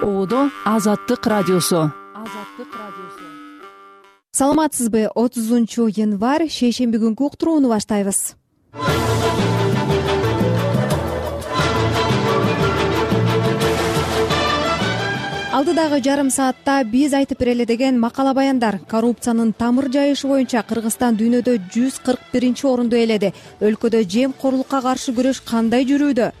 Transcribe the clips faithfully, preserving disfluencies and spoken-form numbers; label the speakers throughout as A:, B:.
A: Оодо Азаттык радиосу.
B: Саламатсызбы? отузунчу январь шейшемби күнкү уктурууну баштайбыз. Алдыдагы жарым саатта биз айтып берели деген макала баяндар. Коррупциянын тамыр жайышы боюнча Кыргызстан дүйнөдө жүз кырк биринчи орунду ээледи. Өлкөдө жемкорлукка каршы күрөш кандай жүрүүдө?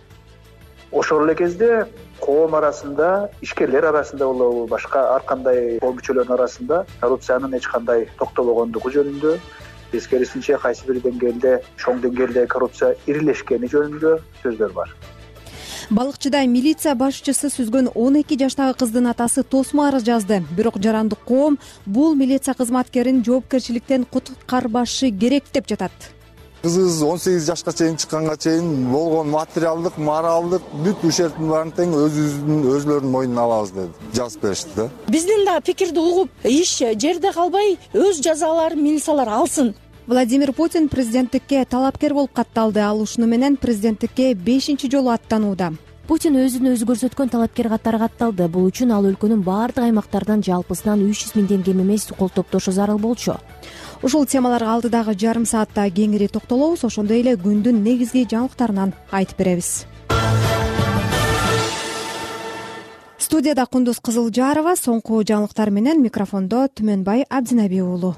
C: Ошол эле кезде коом арасында, ишкерлер арасында болобу, башка ар кандай коом мүчөлөрүнүн арасында коррупциянын эч кандай токтобогондугу жөнүндө, тескерисинче кайсы бир деңгээлде, чоң деңгээлде коррупция ирилешкени жөнүндө сөздөр бар.
B: Балыкчыда милиция башчысы сүзгөн он эки жаштагы кыздын атасы тосмо арыз жазды. Бирок жарандык коом бул милиция кызматкерин жоопкерчиликтен куткарбашы керек деп жатат.
D: Кызыбыз он сегиз жашка чейин чыкканга чейин болгон материалдык, моралдык бүт ушерптин баарын тең өзүбүздүн өзлөрүнүн мойнуна алабыз деп жазып беришти да.
E: Биздин да пикирди угуп, иш жерде калбай өз жазаларын милициялар алсын.
B: Владимир Путин президенттикке талапкер болуп катталды. Ал ушуну менен президенттикке бешинчи жолу аттанууда.
F: Путин өзүн өзү көрсөткөн талапкер катары катталды. Бул үчүн ал өлкөнүн баардык аймактарынан жалпысынан үч жүз миңден кем эмес кол топтошу зарыл болчу.
B: Ушул темаларга алдыдагы жарым саатта кеңири токтолобуз. Ошондой эле күндүн негизги жаңылыктарынан айтып беребиз. Студияда Кундуз Кызылжарова, соңку жаңылыктар менен микрофондо Түмөнбай Абдинаби уулу.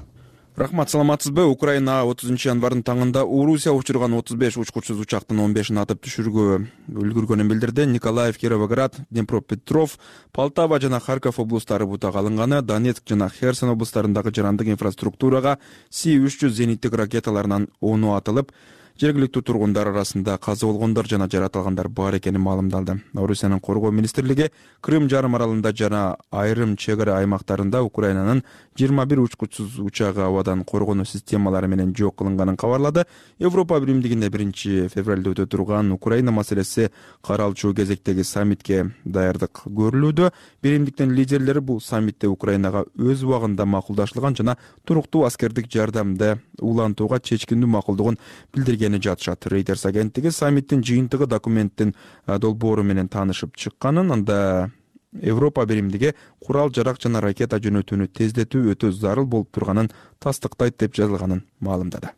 G: Рахмат, саламатсызбы? Украина отузунчу январдын таңында Орусия учурган отуз беш учкучсуз учактын он бешин атып түшүрүүгө үлгүргөнүн билдирди. Николаев, Кировоград, Днепропетров, Полтава жана Харьков облустары бутага алынганы, Донецк жана Херсон облустарындагы жарандык инфраструктурага Си үч жүз зениттик ракеталарынан ону атылып, жергиликтүү тургундар арасында каза болгондор жана жаратылгандар бар экени маалымдалды. Орусиянын коргоо министрлиги Крым жарым аралында жана айрым чек ара аймактарында Украинанын жыйырма бир учкучсуз учагы абадан коргонуу системалары менен жок кылынганын кабарлады. Европа биримдигинде биринчи февралда өтө турган Украина маселеси каралчу кезектеги саммитке даярдык көрүлүүдө. Биримдиктин лидерлери бул саммитте Украинага өз убагында макулдашылган жана туруктуу аскердик жардамды улантууга чечкиндүү макулдугун билдирген жатышат. Reuters агенттиги саммиттин жыйынтыгы документтин долбоору менен таанышып чыкканын, анда Европа биримдиги курал-жарак жана ракета жөнөтүүнү тездетүү өтө зарыл болуп турганын тастыктайт деп жазылганын маалымдады.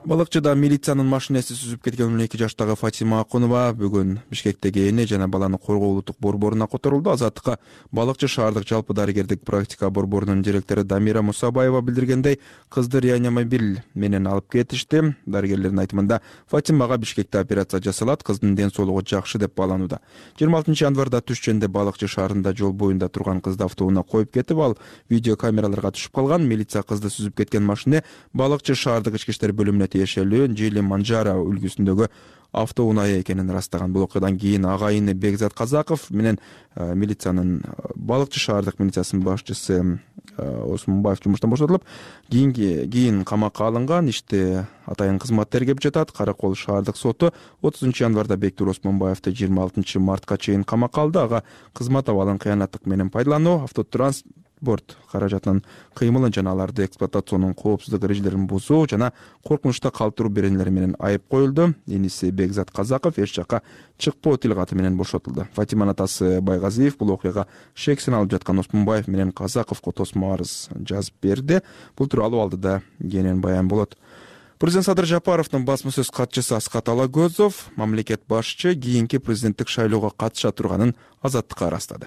G: Балыкчыда милициянын машинеси сүзүп кеткен он эки жаштагы Фатима Акунова бүгүн Бишкектеги эне жана баланы коргоо улуттук борборуна которулду. Азаттыкка Балыкчы шаардык жалпы дарыгердик практика борборунун директору Дамира Мусабаева билдиргендей, кызды реанимобиль менен алып кетишти. Дарыгерлердин айтымында Фатимага Бишкекте операция жасалат, кыздын ден соолугу жакшы деп бааланууда. жыйырма алтынчы январда түшчөндө Балыкчы шаарында жол боюнда турган кызды автоунаа коюп кетип, ал видео камераларга түшүп калган. Милиция кызды сүзүп кеткен машина Балыкчы шаардык ички иштер бөлүмүнө тиешелүү Жили Манжара үлгүсүндөгү автоунаа экенин ырастаган. Бул окуядан кийин агайыны Бекзат Казаков менен э, милициянын Балыкчы шаардык милициясынын башчысы э, Осмонбаев жумуштан бошотулуп, кийин кийин камакка алынган. Иште атайын кызмат тергеп жатат. Каракол шаардык соту отузунчу январда Бектур Осмонбаевди жыйырма алтынчы мартка чейин камакка алды. Ага кызмат абалын кыянаттык менен пайдалануу, автотранс борт каражатынын кыймылын жана аларды эксплуатационун коопсуздук эрежелерин бузуу жана коркунучта калтыруу беренелери менен айып коюлду. Эниси Бекзат Казаков эч жакка чыкпоо тил каты менен бошотулду. Фатиманын атасы Байгазиев бул окуяга шексин алып жаткан Осмонбаев менен Казаковго тосмо арыз жазып берди. Бул тууралуу алдыда кенен баян болот. Президент Садыр Жапаровдун басма сөз катчысы Аскат Алагөзов мамлекет башчы кийинки президенттик шайлоого катыша турганын Азаттыкка ырастады.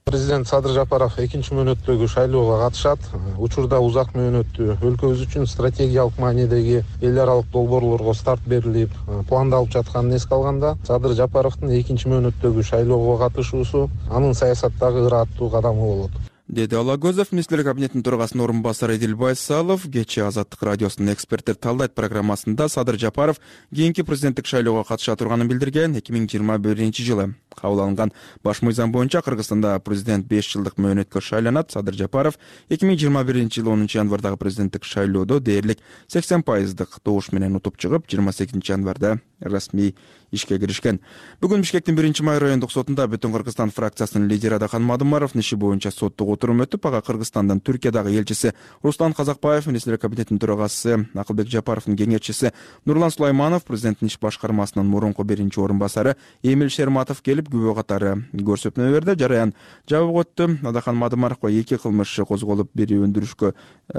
H: Президент Садыр Жапаров экинчи мөөнөттөгү шайлоого катышат. Учурда узак мөөнөттүү өлкөбүз үчүн стратегиялык маанидеги эл аралык долбоорлорго старт берилип, пландалып жатканын эске алганда, Садыр Жапаровдун экинчи мөөнөттөгү шайлоого катышуусу анын саясаттагы ыраттуу кадамы болот,
G: деди Алагөзов. Министрлер кабинетинин төрагасынын орун басары Эдил Байсалов кечээ Азаттык радиосунун эксперттер талдайт программасында Садыр Жапаров кийинки президенттик шайлоого катыша турганын билдирген. эки миң жыйырма биринчи жылы кабыл алынган баш мыйзам боюнча Кыргызстанда президент беш жылдык мөөнөткө шайланат. Садыр Жапаров эки миң жыйырма биринчи жылы онунчу январдагы президенттик шайлоодо дээрлик сексен пайыздык добуш менен утуп чыгып, жыйырма сегизинчи январда расмий ишке киришкен. Бүгүн Бишкектин биринчи май райондук сотунда Бүтүн Кыргызстан фракциясынын лидери Адахан Мадымаров иши боюнча соттук отурум өтүп, ага Кыргызстандан Түркиядагы элчиси Руслан Казакбаев, министрлер кабинетинин төрагасы Акылбек Жапаровдун кеңешчиси Нурлан Сулайманов, президенттин иш башкармасынын мурунку биринчи орун басары Эмил Шерматов келип күбө катары көрсөтмө берди. Жараян жабык өттү. Адахан Мадымаровго эки кылмыш козголуп, бири өндүрүшкө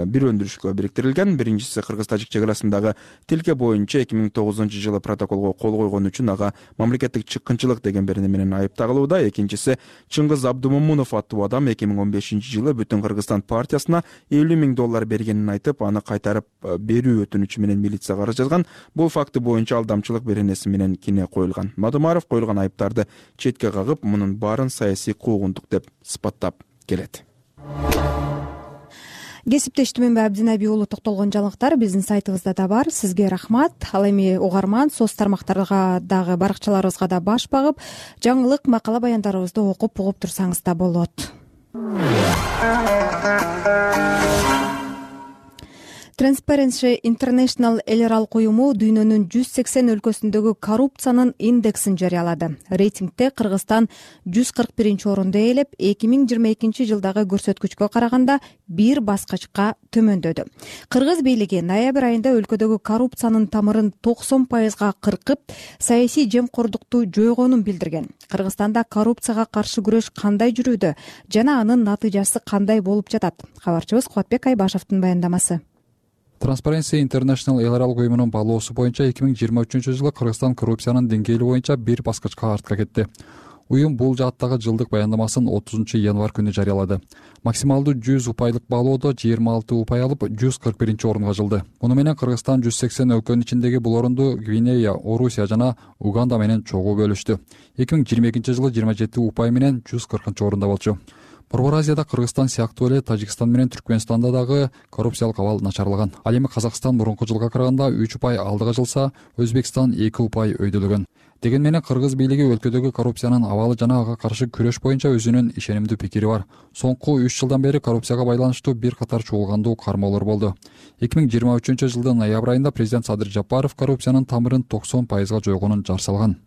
G: бир өндүрүшкө бириктирилген. Биринчиси кыргыз-тажик чек арасындагы тилке боюнча эки миң тогузунчу жылы протоколго кол койгон үчүн ага мамлекеттик чыккынчылык деген берене менен айыпталууда. Экинчиси Чыңгыз Абдумомунов аттуу адам эки миң он бешинчи жылы Бүтүн Кыргызстан партиясына элүү миң доллар бергенин айтып, аны кайтарып берүү өтүнүчү менен милицияга арыз жазган. Бул факты боюнча алдамчылык беренеси менен кине коюлган. Мадымаров коюлган айыптарды четке кагып, мунун баарын саясий куугунтук деп сыпаттап келет.
B: Кесиптеш Түмөнбай Абдинаби уулу токтолгон жаңылыктар биздин сайтыбызда да бар. Сизге рахмат. Ал эми угарман соц тармактарга дагы баракчаларыбызга да баш багып, жаңылык макала баяндарыбызды окуп угуп турсаңыз да болот. Transparency International эл аралык уюму дүйнөнүн жүз сексен өлкөсүндөгү коррупциянын индексин жарыялады. Рейтингде Кыргызстан жүз кырк биринчи орунду ээлеп, эки миң жыйырма экинчи жылдагы көрсөткүчкө караганда бир баскычка төмөндөдү. Кыргыз бийлиги ноябрь айында өлкөдөгү коррупциянын тамырын токсон пайызга кыркып, саясий жемкордукту жойгонун билдирген. Кыргызстанда коррупцияга каршы күрөш кандай жүрүүдө жана анын натыйжасы кандай болуп жатат? Кабарчыбыз Кубатбек Айбашевдин баяндамасы.
I: Transparency International эл аралык уюмунун баалоосу боюнча эки миң жыйырма үчүнчү жылы Кыргызстан коррупциянын деңгээли боюнча бир баскычка артка кетти. Уюм бул жааттагы жылдык баяндамасын отузунчу январь күнү жарыялады. Максималдуу жүз упайлык баалоодо жыйырма алты упай алып, жүз кырк биринчи орунга жылды. Муну менен Кыргызстан жүз сексен өлкөнүн ичиндеги бул орунду Гвинея, Орусия жана Уганда менен чогуу бөлүштү. эки миң жыйырма экинчи жылы жыйырма жети упай менен жүз кыркынчы орунда болчу. Борбор Азияда Кыргызстан сыяктуу эле Тажикстан менен Түркмөнстанда дагы коррупциялык абал начарлаган. Ал эми Казакстан мурунку жылга караганда үч упай алдыга жылса, Өзбекстан эки упай өйдөлгөн. Деген менен Кыргыз бийлиги өлкөдөгү коррупциянын абалы жана ага каршы күрөш боюнча өзүнүн ишенимдүү пикири бар. Соңку үч жылдан бери коррупцияга байланыштуу бир катар чуулгандуу кармоолор болду. эки миң жыйырма үчүнчү жылдын ноябрь айында президент Садыр Жапаров коррупциянын тамырын токсон пайызга жойгонун жар салган.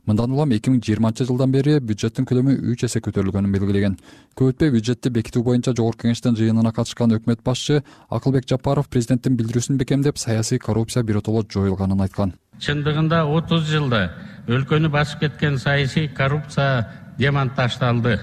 I: Мындан улам эки миң жыйырманчы жылдан бери бюджеттин көлөмү үч эсе көтөрүлгөнүн белгилеген. Көп өтпөй бюджетти бекитүү боюнча Жогорку кеңештин жыйынына катышкан өкмөт башчы Акылбек Жапаров президенттин билдирүүсүн бекемдеп, саясий коррупция биротоло жоюлганын айткан.
J: Чындыгында отуз жылда өлкөнү басып кеткен саясий коррупция демонтаждалды.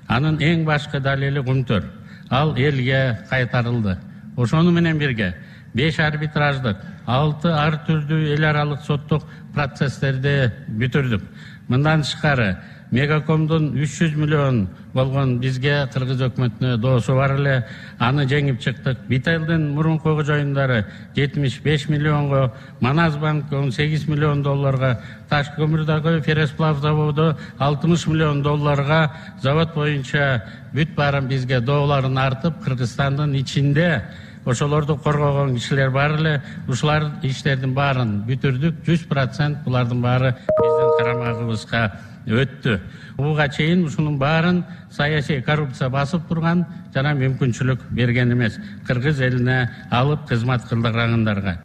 J: Анын эң башкы далили Кумтөр. Ал элге кайтарылды. Ошону менен бирге беш арбитраждык, алты ар түрдүү эл аралык соттук процесстерди бүтүрдүк. Мындан тышкары Мегакомдун үч жүз миллион болгон бизге кыргыз өкмөтүнө доосу бар эле, аны жеңип чыктык. Битайлдын мурунку жойундары жетимиш беш миллионго, Маназбанк он сегиз миллион долларга, Таш көмүрдөгү Фересплав заводу алтымыш миллион долларга, завод боюнча бүт баарын бизге дооларын артып, Кыргызстандын ичинде ошолорду коргогон кишилер бар эле. Ушулар иштердин баарын бүтүрдүк. жүз процент булардын баары биздин карамагыбызга өттү. Буга чейин ушунун баарын саясий коррупция басып турган жана мүмкүнчүлүк берген эмес. Кыргыз элине алып кызмат кылдыргандарга.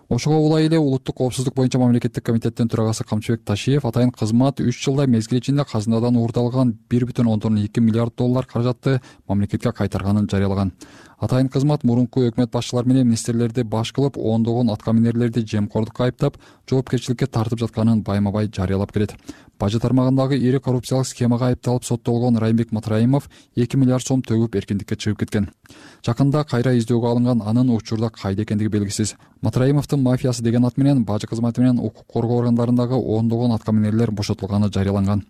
I: Ошого улай эле улуттук коопсуздук боюнча мамлекеттик комитеттин төрагасы Камчыбек Ташиев атайын кызмат үч жылда мезгил ичинде казынадан уурдалган бир бүтүн ондон эки миллиард доллар каражатты мамлекетке кайтарганын жарыялаган. Атайын кызмат мурунку өкмөт башчылары менен министрлерди баш кылып, ондогон аткаминерлерди жемкордукка айыптап, жоопкерчиликке тартып жатканын байма-бай жарыялап келет. Бажы тармагындагы ири коррупциялык схемага айыпталып соттолгон Райымбек Матраимов эки миллиард сом төгүп эркиндикке чыгып кеткен. Жакында кайра издөөгө алынган, анын учурда кайда экендиги белгисиз. Матраимовдун мафиясы деген ат менен бажы кызматы менен укук коргоо органдарындагы ондогон аткаминерлер бошотулганы жарыяланган.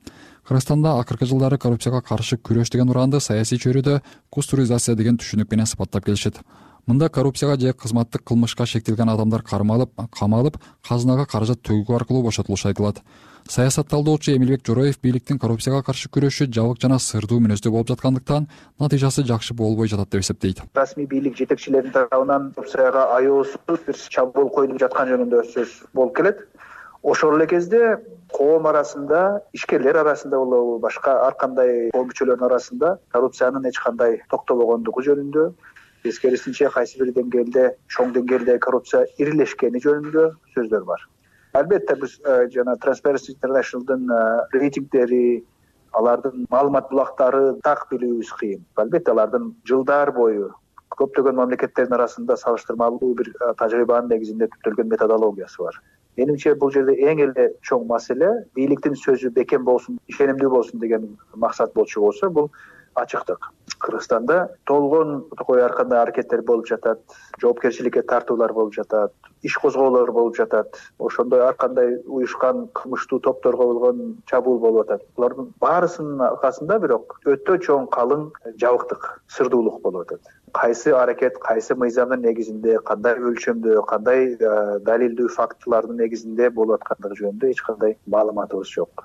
I: Кыргызстанда акыркы жылдары коррупцияга каршы күрөш деген ураанды саясий чөйрөдө кустуризация деген түшүнүк менен сыпаттап келишет. Мында коррупцияга же кызматтык кылмышка шектелген адамдар кармалып, камалып, казынага каражат төгүү аркылуу бошотулушу айтылат. Саясат талдоочу Эмилбек Жороев бийликтин коррупцияга каршы күрөшү жабык жана сырдуу мүнөздө болуп жаткандыктан натыйжасы жакшы болбой жатат деп эсептейт.
C: Расмий бийлик жетекчилеринин тарабынан коррупцияга аяосуз бир чабуул коюлуп жаткан жөнүндө сөз болуп келет. Ошол эле кезде коом арасында, ишкерлер арасында болобу, башка ар кандай коом мүчөлөрүнүн арасында коррупциянын эч кандай токтобогондугу жөнүндө, тескерисинче кайсы бир деңгээлде, чоң деңгээлде коррупция ирилешкени жөнүндө сөздөр бар. Албетте биз жана Transparency International'дын рейтингдери, алардын маалымат булактары так билүүбүз кыйын. Албетте алардын жылдар бою көптөгөн мамлекеттердин арасында салыштырмалуу бир тажрыйбанын негизинде түптөлгөн методологиясы бар. Менимче бул жерде эң эле чоң маселе бийликтин сөзү бекем болсун, ишенимдүү болсун деген максат болчу болсо, бул ачыктык. Кыргызстанда толгон такой ар кандай аракеттер болуп жатат, жоопкерчиликке тартуулар болуп жатат, иш козгоолор болуп жатат. Ошондой ар кандай уюшкан кылмыштуу топторго болгон чабуул болуп атат. Булардын баарысынын аркасында бирок өтө чоң калың жабыктык, сырдуулук болуп атат. Кайсы аракет, кайсы мыйзамдын негизинде, кандай өлчөмдө, кандай далилдүү фактылардын негизинде болуп аткандыгы жөнүндө эч кандай маалыматыбыз жок.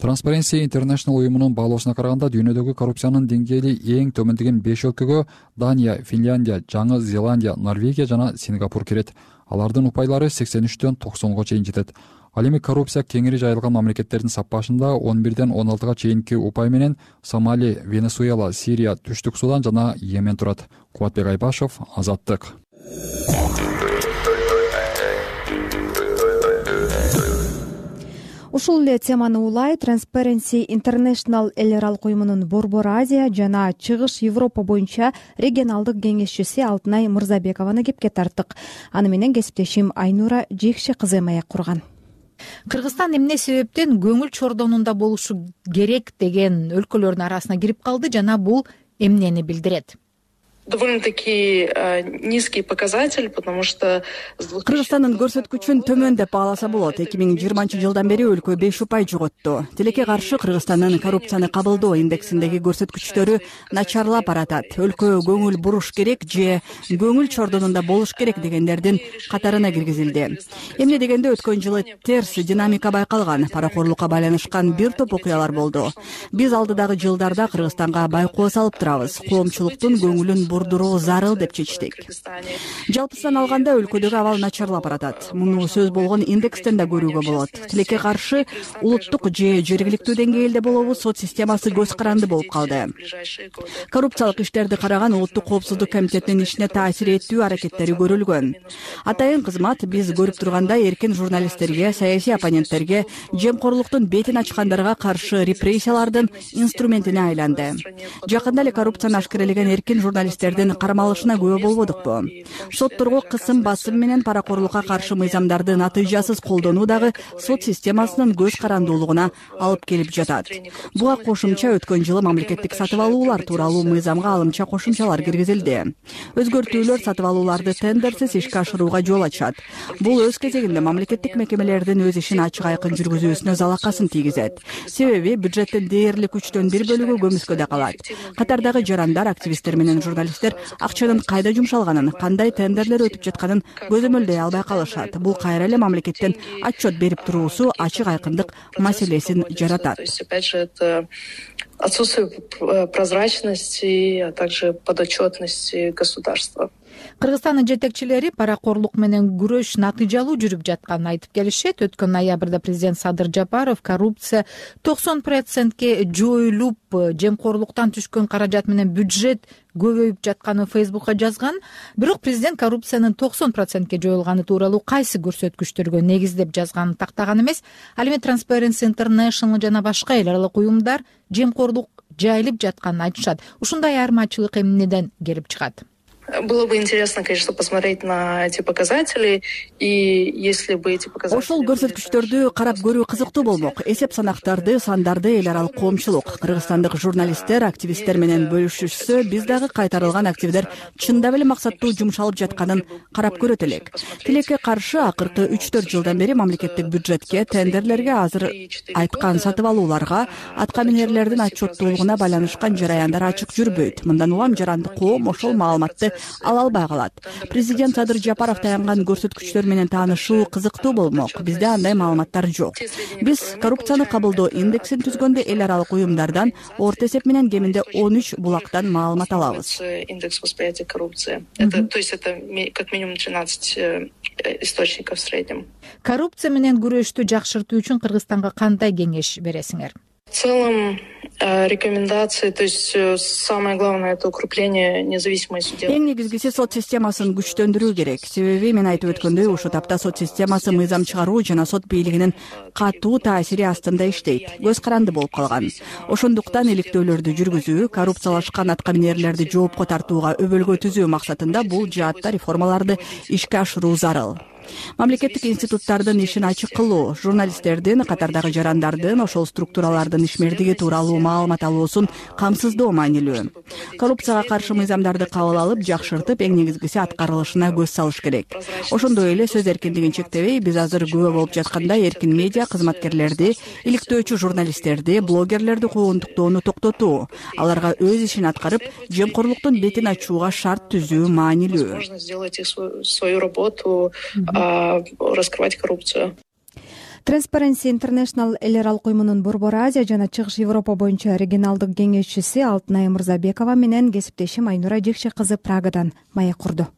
I: Transparency International уюмунун баалоосуна караганда дүйнөдөгү коррупциянын деңгээли эң төмөн деген беш өлкөгө Дания, Финляндия, Жаңы Зеландия, Норвегия жана Сингапур кирет. Алардын упайлары сексен үчтөн токсонго чейин жетет. Ал эми коррупция кеңири жайылган мамлекеттердин саппашында он бирден он алтыга чейинки упай менен Сомали, Венесуэла, Сирия, Түштүк Судан жана Йемен турат. Кубатбек Айбашев, Азаттык.
B: Ушул эле теманы улай Transparency International эл аралык уюмунун Борбор Азия жана Чыгыш Европа боюнча регионалдык кеңешчиси Алтынай Мырзабекованы кепке тарттык. Аны менен кесиптешим Айнура Жекше кызы маек курган.
K: Кыргызстан эмне себептен көңүл чордонунда болушу керек деген өлкөлөрдүн арасына кирип калды жана бул эмнени билдирет?
L: Довольно-таки низкий показатель, потому что
A: Кыргызстандын көрсөткүчүн төмөн деп бааласа болот. эки миң жыйырманчы жылдан бери өлкө беш упай жоготту. Тилекке каршы Кыргызстандын коррупцияны кабылдоо индексиндеги көрсөткүчтөрү начарлап баратат. Өлкө көңүл буруш керек же көңүл чордонунда болуш керек дегендердин катарына киргизилди. Эмне дегенде өткөн жылы терс динамика байкалган, паракорлукка байланышкан бир топ окуялар болду. Биз алдыдагы жылдарда Кыргызстанга байкоо салып турабыз. Коомчулуктун көңүлүн бурдуруу зарыл деп чечтик. Жалпысынан алганда өлкөдөгү абал начарлап баратат. Муну сөз болгон индекстен да көрүүгө болот. Тилекке каршы улуттук же жергиликтүү деңгээлде болобу сот системасы көз каранды болуп калды. Коррупциялык иштерди караган Улуттук коопсуздук комитетинин ишине таасир этүү аракеттери көрүлгөн. Атайын кызмат биз көрүп тургандай эркин журналисттерге, саясий оппоненттерге, жемкорлуктун бетин ачкандарга каршы репрессиялардын инструментине айланды. Жакында эле коррупцияны ашкерелеген эркин журналисттердин кармалышына күбө болбодукпу? Сотторго кысым басым менен паракорлукка каршы мыйзамдарды натыйжасыз колдонуу дагы сот системасынын көз карандуулугуна алып келип жатат. Буга кошумча өткөн жылы мамлекеттик сатып алуулар тууралуу мыйзамга алымча кошумчалар киргизилди. Өзгөртүүлөр сатып алууларды тендерсиз ишке ашырууга жол ачат. Бул өз кезегинде мамлекеттик мекемелердин өз ишин ачык айкын жүргүзүүсүнө залакасын тийгизет. Себеби бюджеттин дээрлик үчтөн бир бөлүгү көмүскөдө калат. Катардагы жарандар, активисттер менен журналисттер акчанын кайда жумшалганын, кандай тендерлер өтүп жатканын көзөмөлдөй албай калышат. Бул кайра эле мамлекеттин отчет берип туруусу ачык айкындык маселесин жаратат.
L: Отсутствие прозрачности, а также подотчетности государства.
K: Кыргызстандын жетекчилери паракорлук менен күрөш натыйжалуу жүрүп жатканын айтып келишет. Өткөн ноябрда президент Садыр Жапаров коррупция токсон процентке жоюлуп, жемкорлуктан түшкөн каражат менен бюджет көбөйүп жатканын Фейсбукка жазган. Бирок президент коррупциянын токсон процентке жоюлганы тууралуу кайсы көрсөткүчтөргө негиздеп жазганын тактаган эмес. Ал эми Transparency International жана башка эл аралык уюмдар жемкорлук жайылып жатканын айтышат. Ушундай айырмачылык эмнеден келип чыгат?
L: Было бы интересно, конечно, посмотреть на эти показатели, и если бы эти показатели...
A: Ошол көрсөткүчтөрдү карап көрүү кызыктуу болмок. Эсеп санактарды, сандарды эл аралык коомчулук, кыргызстандык журналисттер, активисттер менен бөлүшүшсө, биз дагы кайтарылган активдер чындап эле максаттуу жумшалып жатканын карап көрөт элек. Тилекке каршы акыркы үч төрт жылдан бери мамлекеттик бюджетке, тендерлерге, азыр айткан сатып алууларга, аткаминерлердин отчеттуулугуна байланышкан жараяндар ачык жүрбөйт. Мындан улам жарандык коом ошол маалыматты ала албай калат. Президент Садыр Жапаров таянган көрсөткүчтөр менен таанышуу кызыктуу болмок. Бизде андай маалыматтар жок. Биз коррупцияны кабылдоо индексин түзгөндө эл аралык уюмдардан орто эсеп менен кеминде он үч булактан маалымат алабыз.
L: Индекс восприятия коррупции. Это, то есть это как минимум тринадцать источников в среднем.
K: Коррупция менен күрөштү жакшыртуу үчүн Кыргызстанга кандай кеңеш бересиңер?
L: В целом рекомендации, то есть самое главное — это укрепление независимой судебной.
A: Эң негизгиси сот системасын күчтөндүрүү керек. Себеби мен айтып өткөндөй, ушул тапта сот системасы мыйзам чыгаруу жана сот бийлигинин катуу таасири астында иштейт, көз каранды болуп калган. Ошондуктан иликтөөлөрдү жүргүзүү, коррупциялашкан аткаминерлерди жоопко тартууга өбөлгө түзүү максатында бул жаатта реформаларды ишке ашыруу зарыл. Мамлекеттик институттардын ишин ачык кылуу, журналисттердин, катардагы жарандардын, ошол структуралардын ишмердиги тууралуу маалымат алуусун камсыздоо маанилүү. Коррупцияга каршы мыйзамдарды кабыл алып, жакшыртып, эң негизгиси аткарылышына көз салыш керек. Ошондой эле сөз эркиндигин чектебей, биз азыр күбө болуп жаткандай эркин медиа кызматкерлерди, иликтөөчү журналисттерди, блогерлерди куугунтуктоону токтотуу, аларга өз ишин аткарып, жемкорлуктун бетин ачууга шарт түзүү маанилүү.
L: Раскрывать коррупцию.
B: Transparency International эл аралык уюмунун Борбор Азия жана Чыгыш Европа боюнча регионалдык кеңешчиси Алтынай Мырзабекова менен кесиптешим Айнура Жекше кызы Прагадан маек курду.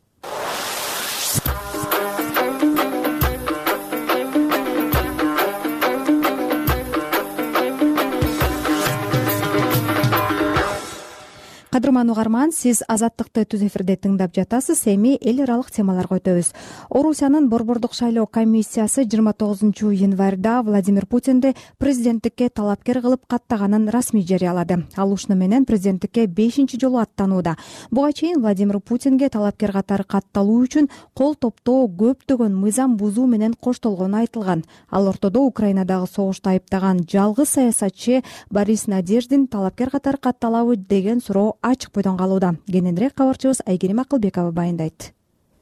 B: Кадырман угарман, сиз Азаттыкты түз эфирде тыңдап жатасыз. Эми эл аралык темаларга өтөбүз. Орусиянын борбордук шайлоо комиссиясы жыйырма тогузунчу январда Владимир Путинди президенттикке талапкер кылып каттаганын расмий жарыялады. Ал ушуну менен президенттикке бешинчи жолу аттанууда. Буга чейин Владимир Путинге талапкер катары катталуу үчүн кол топтоо көптөгөн мыйзам бузуу менен коштолгону айтылган. Ал ортодо Украинадагы согушту айыптаган жалгыз саясатчы Борис Надеждин талапкер катары катталабы деген суроо ачык бойдон калууда. Кененирээк кабарчыбыз Айгерим Акылбекова баяндайт.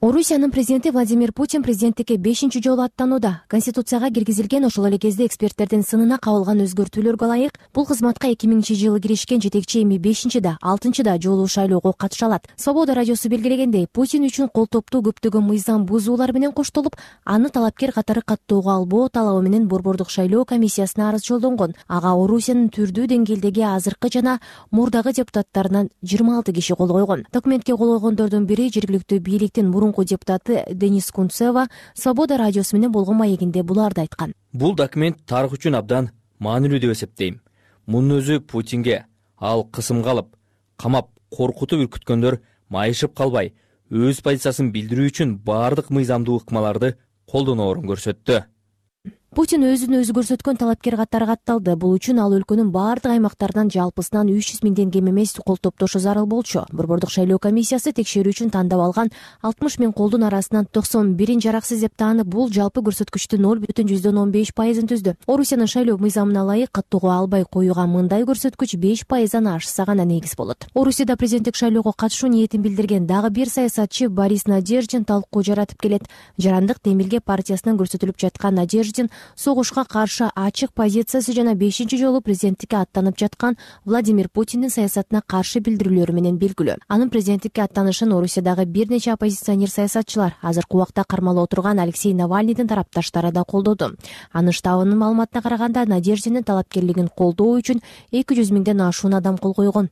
F: Орусиянын президенти Владимир Путин президенттикке бешинчи жолу аттанууда. Конституцияга киргизилген ошол эле кезде эксперттердин сынына кабылган өзгөртүүлөргө ылайык бул кызматка эки миңинчи жылы киришкен жетекчи эми бешинчи да алтынчы да жолу шайлоого катыша алат. Свобода радиосу белгилегендей, Путин үчүн кол топтуу көптөгөн мыйзам бузуулар менен коштолуп, аны талапкер катары каттоого албоо талабы менен борбордук шайлоо комиссиясына арыз жолдонгон. Ага Орусиянын түрдүү деңгээлдеги азыркы жана мурдагы депутаттарынан жыйырма алты киши кол койгон. Документке кол койгондордун бири жергиликтүү бийликтин мурун депутаты Денис Кунцева Свобода радиосу менен болгон маегинде буларды айткан.
M: Бул документ тарых үчүн абдан маанилүү деп эсептейм. Мунун өзү Путинге ал кысымга алып, камап, коркутуп үркүткөндөр майышып калбай, өз позициясын билдирүү үчүн баардык мыйзамдуу ыкмаларды колдоноорун көрсөттү.
F: Путин өзүн өзү көрсөткөн талапкер катары катталды. Бул үчүн ал өлкөнүн баардык аймактарынан жалпысынан үч жүз миңден кем эмес кол топтошу зарыл болчу. Борбордук шайлоо комиссиясы текшерүү үчүн тандап алган алтымыш миң колдун арасынан токсон бирин жараксыз деп таанып, бул жалпы көрсөткүчтүн ноль бүтүн жүздөн он беш пайызын түздү. Орусиянын шайлоо мыйзамына ылайык каттоого албай коюуга мындай көрсөткүч беш пайыздан ашса гана негиз болот. Орусияда президенттик шайлоого катышуу ниетин билдирген дагы бир саясатчы Борис Надеждин талкуу жаратып келет. Жарандык Демилге партиясынан көрсөтүлүп жаткан Надеждин согушка каршы ачык позициясы жана бешинчи жолу президенттикке аттанып жаткан Владимир Путиндин саясатына каршы билдирүүлөрү менен белгилүү. Анын президенттикке аттанышын Орусиядагы бир нече оппозиционер саясатчылар, азыркы убакта кармалып отурган Алексей Навальныйдын тарапташтары да колдоду. Анын штабынын маалыматына караганда, Надеждинин талапкерлигин колдоо үчүн эки жүз миңден ашуун адам кол койгон.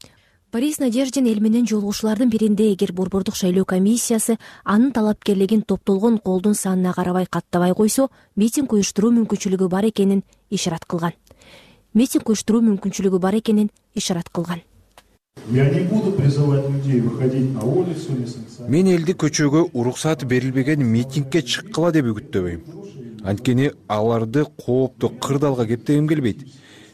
F: Борис Надеждин эл менен жолугушуулардын биринде, эгер борбордук шайлоо комиссиясы анын талапкерлигин топтолгон колдун санына карабай каттабай койсо, митинг уюштуруу мүмкүнчүлүгү бар экенин ишарат кылган. Митинг уюштуруу мүмкүнчүлүгү бар экенин ишарат кылган.
N: Мен элди көчөгө уруксат берилбеген митингге чыккыла деп үгүттөбөйм. Анткени аларды коопту кырдаалга кептегим келбейт.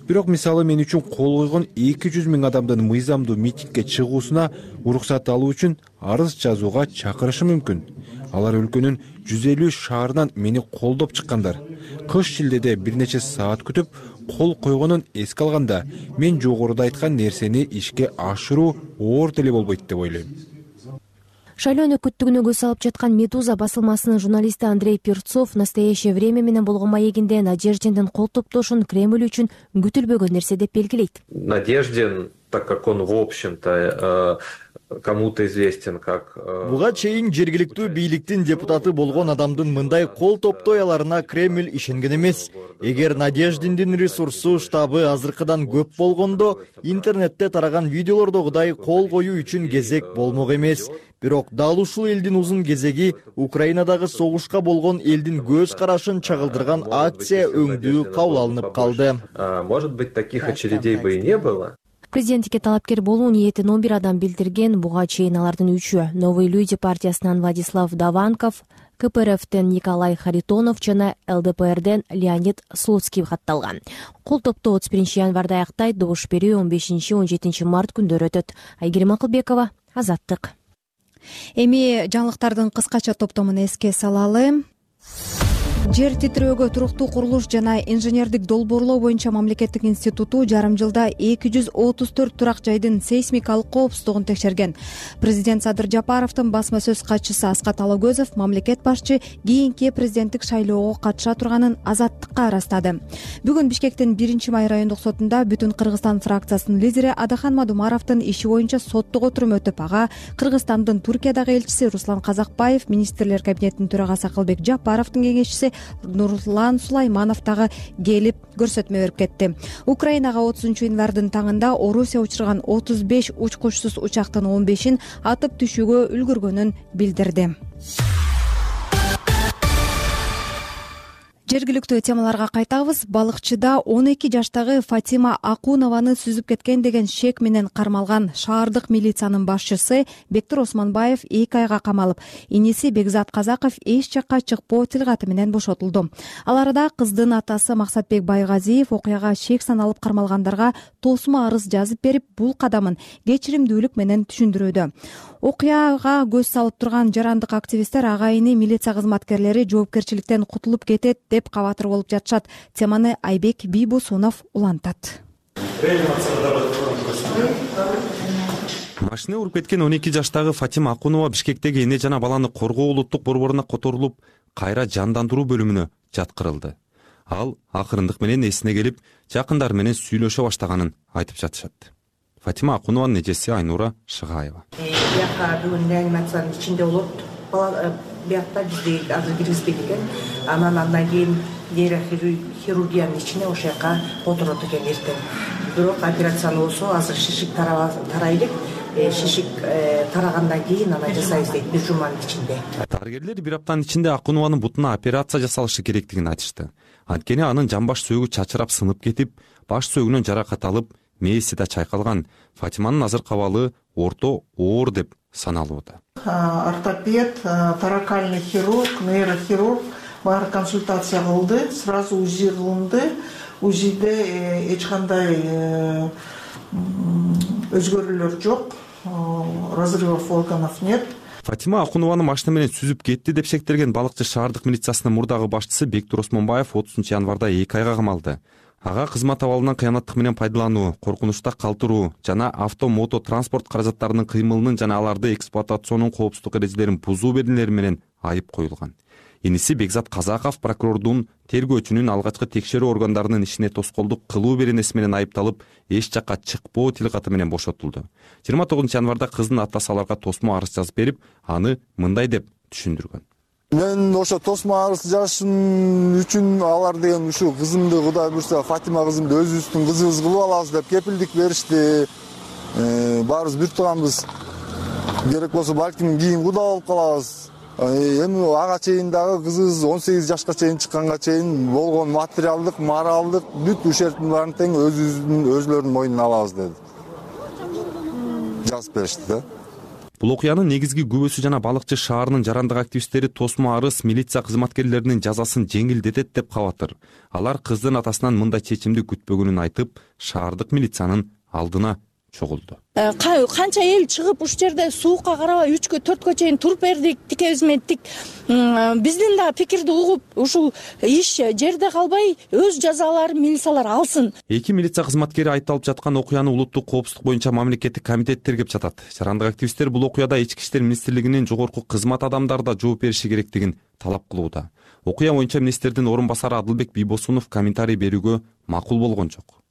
N: Бирок мисалы мен үчүн кол койгон эки жүз миң адамдын мыйзамдуу митингге чыгуусуна уруксат алуу үчүн арыз жазууга чакырышы мүмкүн. Алар өлкөнүн жүз элүү шаарынан мени колдоп чыккандар. Кыш шилдеде бир нече саат күтүп кол койгонун эске алганда, мен жогоруда айткан нерсени ишке ашыруу оор деле болбойт деп ойлойм.
F: Шайлоо өнөкөттүгүнө көз салып жаткан Медуза басылмасынын журналисти Андрей Перцов настоящее время менен болгон маегинде Надеждиндин кол топтошун Кремль үчүн күтүлбөгөн нерсе деп белгилейт.
O: Надеждин так как он в общем-то кому-то известен как.
P: Буга чейин жергиликтүү бийликтин депутаты болгон адамдын мындай кол топтояларына Кремль ишенген эмес. Эгер Надеждиндин ресурсу, штабы азыркыдан көп болгондо, интернетте тараган видеолордогудай кол коюу үчүн кезек болмок эмес. Бирок дал ушул элдин узун кезеги Украинадагы согушка болгон элдин көз карашын чагылдырган акция өңдүү кабыл алынып калды.
O: Может быть, таких очередей бы и не было.
F: Президенттикке талапкер болуу ниетин он бир адам билдирген. Буга чейин алардын үчөө Новые люди партиясынан Владислав Даванков, Ка Пэ Эр Эфтен Николай Харитонов жана Эл Дэ Пэ Эрден Леонид Слуцкий катталган. Кол топтоо отуз биринчи январда аяктайт, добуш берүү он бешинчи он жетинчи март күндөрү өтөт. Айгерим Акылбекова, Азаттык.
B: Эми жаңылыктардын кыскача топтомун эске салалы. Жер титирөөгө туруктуу курулуш жана инженердик долбоорлоо боюнча мамлекеттик институту жарым жылда эки жүз отуз төрт турак жайдын сейсмикалык коопсуздугун текшерген. Президент Садыр Жапаровдун басма сөз катчысы Аскат Алагөзов мамлекет башчы кийинки президенттик шайлоого катыша турганын Азаттыкка ырастады. Бүгүн Бишкектин биринчи май райондук сотунда Бүтүн Кыргызстан фракциясынын лидери Адахан Мадумаровдун иши боюнча соттук отурум өтүп, ага Кыргызстандын Туркиядагы элчиси Руслан Казакбаев, министрлер кабинетинин төрагасы Акылбек Жапаровдун кеңешчиси Нурлан Сулайманов дагы келип көрсөтмө берип кетти. Украинага отузунчу январдын таңында Орусия учурган отуз беш учкучсуз учактын он бешин атып түшүүгө үлгүргөнүн билдирди. Жергиликтүү темаларга кайтабыз. Балыкчыда он эки жаштагы Фатима Акунованы сүзүп кеткен деген шек менен кармалган шаардык милициянын башчысы Бектур Осмонбаев эки айга камалып, иниси Бекзат Казаков эч жакка чыкпоо тилгаты менен бошотулду. Ал арада кыздын атасы Максатбек Байгазиев окуяга шек саналып кармалгандарга тосмо арыз жазып берип, бул кадамын кечиримдүүлүк менен түшүндүрүүдө. Окуяга көз салып турган жарандык активисттер агайыны милиция кызматкерлери жоопкерчиликтен кутулуп кетет деп кабатыр болуп жатышат. Теманы Айбек Бийбосунов улантат.
Q: Машина уруп кеткен он эки жаштагы Фатима Акунова Бишкектеги эне жана баланы коргоо улуттук борборуна которулуп, кайра жандандыруу бөлүмүнө жаткырылды. Ал акырындык менен эсине келип, жакындары менен сүйлөшө баштаганын айтып жатышат. Фатима Акунованын эжеси Айнура Шыгаева.
R: Бияка бүгүн реанимациянын ичинде болот. Бала биякта бизди азыр киргизбейт экен. Анан андан кийин нейрохирургиянын ичине ошол жака отурот экен эртең. Бирок операцияны болсо азыр шишик тарай элек. Шишик тарагандан кийин аны жасайбыз дейт бир жуманын ичинде.
Q: Дарыгерлер бир аптанын ичинде Акунованын бутуна операция жасалышы керектигин айтышты. Анткени анын жамбаш сөөгү чачырап сынып кетип, баш сөөгүнөн жаракат алып, мээси да чайкалган. Фатиманын азыркы абалы орто оор деп саналууда.
S: Ортопед, торакальный хирург, нейрохирург баары консультация кылды, сразу УЗИ кылынды. УЗИде эч кандай өзгөрүүлөр жок, разрывов органов нет.
Q: Фатима Акунованы машина менен сүзүп кетти деп шектелген балыкчы шаардык милициясынын мурдагы башчысы Бектур Осмонбаев отузунчу январда эки айга камалды. Ага кызмат абалынан кыянаттык менен пайдалануу, коркунучта калтыруу жана авто мото транспорт каражаттарынын кыймылынын жана аларды эксплуатационун коопсуздук эрежелерин бузуу берилери менен айып коюлган. Иниси Бекзат Казаков прокурордун тергөөчүнүн алгачкы текшерүү органдарынын ишине тоскоолдук кылуу беренеси менен айыпталып, эч жакка чыкпоо тилгаты менен бошотулду. жыйырма тогузунчу январда кыздын атасы аларга тосмо арыз жазып берип, аны мындай деп түшүндүргөн.
D: Мен ошо тосмо арыз жазышым үчүн алар деген ушу кызымды Кудай буйрса Фатима кызымды өзүбүздүн кызыбыз кылып алабыз деп кепилдик беришти. Баарыбыз бир тууганбыз. Керек болсо балким кийин куда болуп калабыз. Эми ага чейин дагы кызыбыз он сегиз жашка чейин чыкканга чейин болгон материалдык, моралдык бүт ушерттин баарын тең өзүбүздүн өзүлөрүнүн мойнуна алабыз деди. Жазып беришти да.
Q: Бул окуянын негизги күбөсү жана балыкчы шаарынын жарандык активисттери тосмо арыз милиция кызматкерлеринин жазасын жеңилдетет деп кабатыр. Алар кыздын атасынан мындай чечимди күтпөгөнүн айтып, шаардык милициянын алдына чогулду.
E: Канча эл чыгып ушул жерде суукка карабай үчкө төрткө чейин туруп бердик, тикебиз менен тик. Биздин да пикирди угуп, ушул иш жерде калбай өз жазаларын милициялар алсын.
Q: Эки милиция кызматкери айыпталып жаткан окуяны улуттук коопсуздук боюнча мамлекеттик комитет тергеп жатат. Жарандык активисттер бул окуяда Ички иштер министрлигинин жогорку кызмат адамдары да жооп бериши керектигин талап кылууда. Окуя боюнча министрдин орун басары Адылбек Бийбосунов комментарий берүүгө макул болгон жок.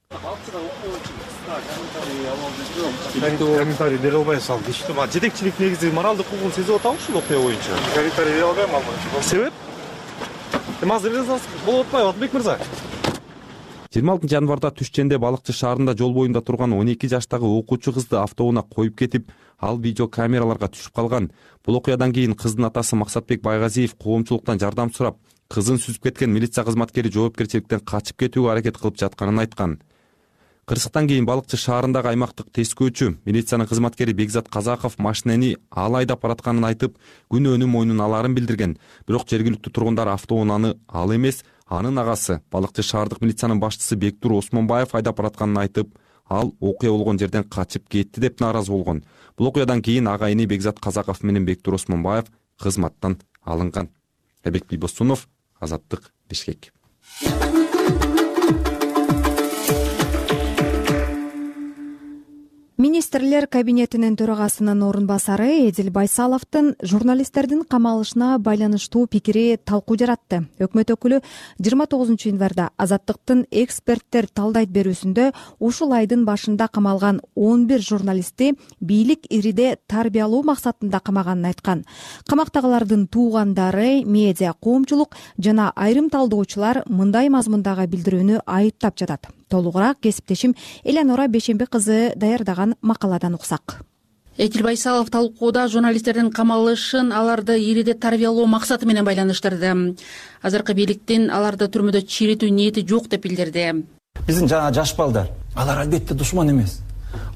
T: комментарий бере албай салып дейишти. Жетекчилик негизи моралдык укугун сезип атабы ушул окуя боюнча? Комментарий бере албайм ал боюнча. Себеп? Эми азыр болуп атпайбы Атбек мырза?
Q: жыйырма алтынчы январда Түшченде Балыкчы шаарында жол боюнда турган он эки жаштагы окуучу кызды автоунаа коюп кетип, ал видео камераларга түшүп калган. Бул окуядан кийин кыздын атасы Максатбек Байгазиев коомчулуктан жардам сурап, кызын сүзүп кеткен милиция кызматкери жоопкерчиликтен качып кетүүгө аракет кылып жатканын айткан. Кырсыктан кийин Балыкчы шаарындагы аймактык тескөөчү милициянын кызматкери Бекзат Казаков машинени ал айдап баратканын айтып, күнөөнүн мойнуна аларын билдирген. Бирок жергиликтүү тургундар автоунааны ал эмес, анын агасы Балыкчы шаардык милициянын башчысы Бектур Осмонбаев айдап баратканын айтып, ал окуя болгон жерден качып кетти деп нааразы болгон. Бул окуядан кийин агайыны Бекзат Казаков менен Бектур Осмонбаев кызматтан алынган. Эбек Бийбосунов, Азаттык, Бишкек.
B: Министрлер кабинетинин төрагасынын орун басары Эдил Байсаловдун журналисттердин камалышына байланыштуу пикири талкуу жаратты. Өкмөт өкүлү жыйырма тогузунчу январда Азаттыктын эксперттер талдайт берүүсүндө ушул айдын башында камалган он бир журналистти бийлик ириде тарбиялоо максатында камаганын айткан. Камактагылардын туугандары, медиа коомчулук жана айрым талдоочулар мындай мазмундагы билдирүүнү айыптап жатат. Толугураак кесиптешим Элеонора Бейшембек кызы даярдаган макаладан уксак.
U: Эдил Байсалов талкууда журналисттердин камалышын аларды ириде тарбиялоо максаты менен байланыштырды. Азыркы бийликтин аларды түрмөдө чиретүү ниети жок деп билдирди.
V: Биздин жана жаш балдар, алар албетте душман эмес.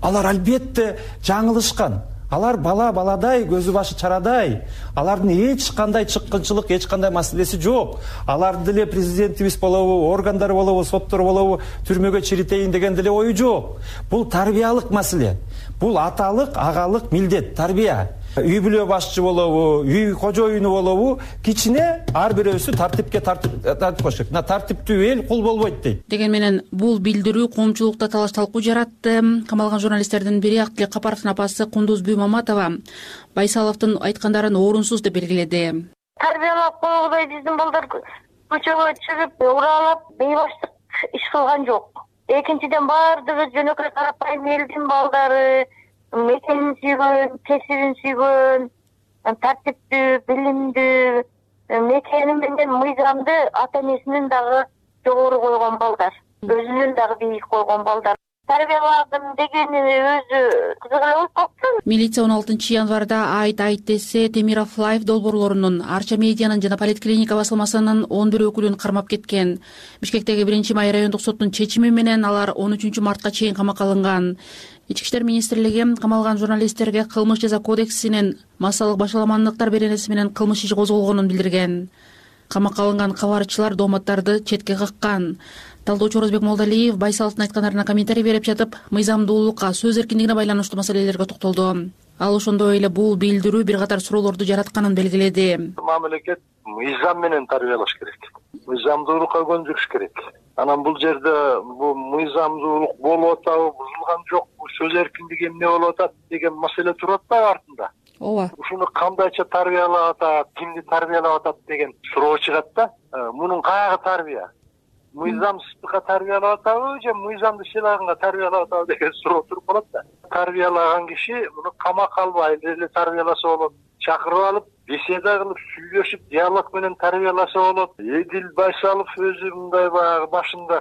V: Алар албетте жаңылышкан. Алар бала баладай, көзү башы чарадай. Алардын эч кандай чыккынчылык, эч кандай маселеси жок. Алар деле президентибиз болобу, органдар болобу, соттор болобу түрмөгө чиритейин деген деле ою жок. Бул тарбиялык маселе. Бул аталык, агалык милдет, тарбия. Үй бүлө башчы болобу, үй кожоюну болобу, кичине ар бирөөсү тартипке тартип коюш керек. Тартиптүү эл кул болбойт дейт.
U: Деген менен бул билдирүү коомчулукта талаш талкуу жаратты. Камалган журналисттердин бири Актилек Капаровдун апасы Кундуз Бүймаматова Байсаловдун айткандарын орунсуз деп белгиледи.
W: Тарбиялап койгудай биздин балдар көчөгө чыгып, уралап, бейбаштык иш кылган жок. Экинчиден баардыгы жөнөкөй карапайым элдин балдары, мекенин сүйгөн, кесибин сүйгөн, тартиптүү, билимдүү, мекени менен мыйзамды ата энесинин дагы жогору койгон балдар, өзүнүн дагы бийик койгон балдар. Тарбияладым дегени өзү кызык эле болуп калыптыр.
U: Милиция он алтынчы январда айт айт десе Темиров Лайф долбоорлорунун, Арча медианын жана Политклиника басылмасынын он бир өкүлүн кармап кеткен. Бишкектеги биринчи май райондук соттун чечими менен алар он үчүнчү мартка чейин камакка алынган. Ички иштер министрлиги камалган журналисттерге кылмыш жаза кодексинин массалык башаламандыктар беренеси менен кылмыш иши козголгонун билдирген. Камакка алынган кабарчылар дооматтарды четке каккан. Талдоочу Орозбек Молдалиев Байсаловдун айткандарына комментарий берип жатып, мыйзамдуулукка, сөз эркиндигине байланыштуу маселелерге токтолду. Ал ошондой эле бул билдирүү бир катар суроолорду жаратканын белгиледи.
X: Мамлекет мыйзам менен тарбиялаш керек. Мыйзамдуулукка көндүрүш керек. Анан бул жерде бул мыйзамдуулук болуп атабы, бузулган жокпу, сөз эркиндиги эмне болуп атат деген маселе туруп атпайбы артында?
U: Ооба.
X: Ушуну кандайча тарбиялап атат, кимди тарбиялап атат деген суроо чыгат да. Мунун кайгы тарбия? Мыйзамсыздыкка тарбиялап атабы же мыйзамды сыйлаганга тарбиялап атабы деген суроо туруп калат да. Тарбиялаган киши муну камакка албай эле тарбияласа болот. Чакырып алып, беседа кылып, сүйлөшүп, диалог менен тарбияласа болот. Эдил Байсалов өзү мындай баягы башында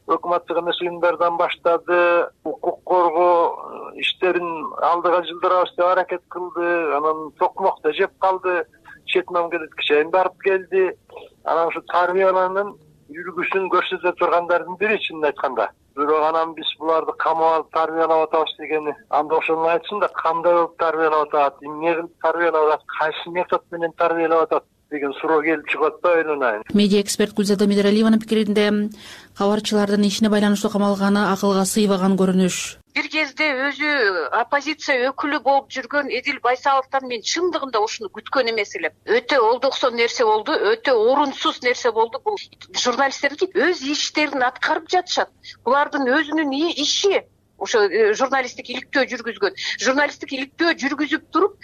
X: өкмөттүк эмес уюмдардан баштады, укук коргоо иштерин алдыга жылдырабыз деп аракет кылды, анан токмокто жеп калды, чет мамлекетке чейин барып келди. Анан ушу тарбияланын үлгүсүн көрсөтө тургандардын бири чынын айтканда. Бирок анан биз буларды камап алып тарбиялап атабыз дегени, анда ошону айтсын да, кандай болуп тарбиялап атат, эмне кылып тарбиялап атат, кайсы метод менен тарбиялап атат деген суроо келип чыгып атпайбы ойлонайын.
U: Медиа эксперт Гүлзада Медералиеванын пикиринде кабарчылардын ишине байланыштуу камалганы акылга сыйбаган көрүнүш.
Y: Бир кезде өзү оппозиция өкүлү болуп жүргөн Эдил Байсаловдон мен чындыгында ушуну күткөн эмес элем. Өтө олдоксон нерсе болду, өтө орунсуз нерсе болду. Бул журналисттерди өз иштерин аткарып жатышат. Булардын өзүнүн иши. ошо журналисттик иликтөө жүргүзгөн. Журналисттик иликтөө жүргүзүп туруп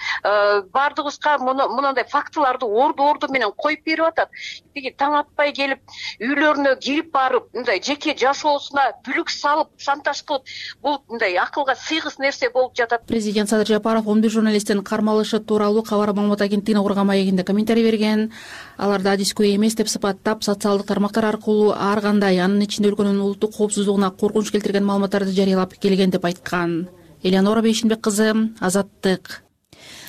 Y: баардыгыбызга мондай фактыларды орду орду менен коюп берип атат. Тиги таң атпай келип үйлөрүнө кирип барып мындай жеке жашоосуна бүлүк салып шантаж кылып, бул мындай акылга сыйгыс нерсе болуп жатат.
U: Президент Садыр Жапаров он бир журналисттин кармалышы тууралуу Кабар маалымат агенттигине курган маегинде комментарий берген. Аларды адискөй эмес деп сыпаттап, социалдык тармактар аркылуу ар кандай, анын ичинде өлкөнүн улуттук коопсуздугуна коркунуч келтирген маалыматтарды жарыялап келген деп айткан. Элеонора Бейшинбек кызы, Азаттык.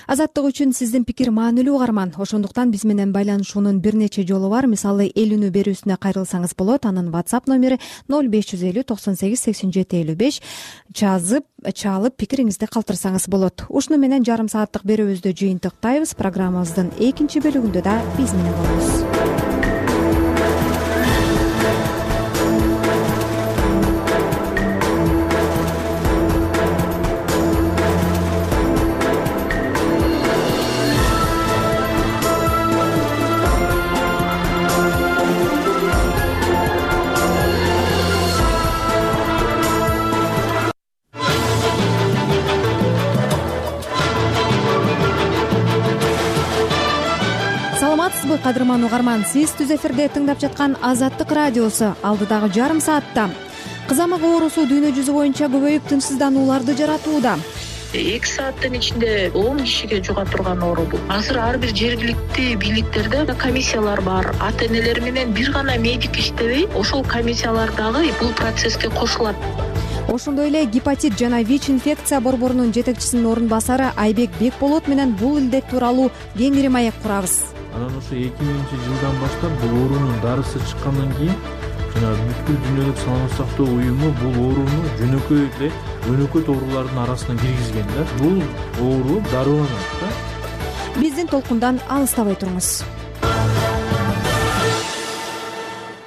B: Азаттык үчүн сиздин пикир маанилүү угарман. Ошондуктан биз менен байланышуунун бир нече жолу бар. Мисалы, эл үнү берүүсүнө кайрылсаңыз болот. Анын WhatsApp номери ноль беш жүз элүү токсон сегиз сексен жети элүү беш. Жазып, чалып пикириңизди калтырсаңыз болот. Ушуну менен жарым сааттык берүүбүздү жыйынтыктайбыз. Программабыздын экинчи бөлүгүндө да биз менен болобуз. Кадырман угарман, сиз түз эфирде тыңдап жаткан Азаттык радиосу. Алдыдагы жарым саатта кызамык оорусу дүйнө жүзү боюнча көбөйүп тынчсызданууларды жаратууда.
C: эки сааттын ичинде он кишиге жуга турган оору бул. Азыр ар бир жергиликтүү бийликтерде комиссиялар бар. Ата энелер менен бир гана медик иштебей, ошол комиссиялар дагы бул процесске кошулат.
B: Ошондой эле гепатит жана ВИЧ инфекция борборунун жетекчисинин орун басары Айбек Бекболот менен бул илдет тууралуу кеңири маек курабыз.
G: Анан ошо эки миңинчи жылдан баштап бул оорунун дарысы чыккандан кийин жана бүткүл дүйнөлүк саламаттык сактоо уюму бул ооруну жөнөкөй эле өнөкөт оорулардын арасына киргизген да. Бул оору дарыланат да.
B: Биздин толкундан алыстабай туруңуз.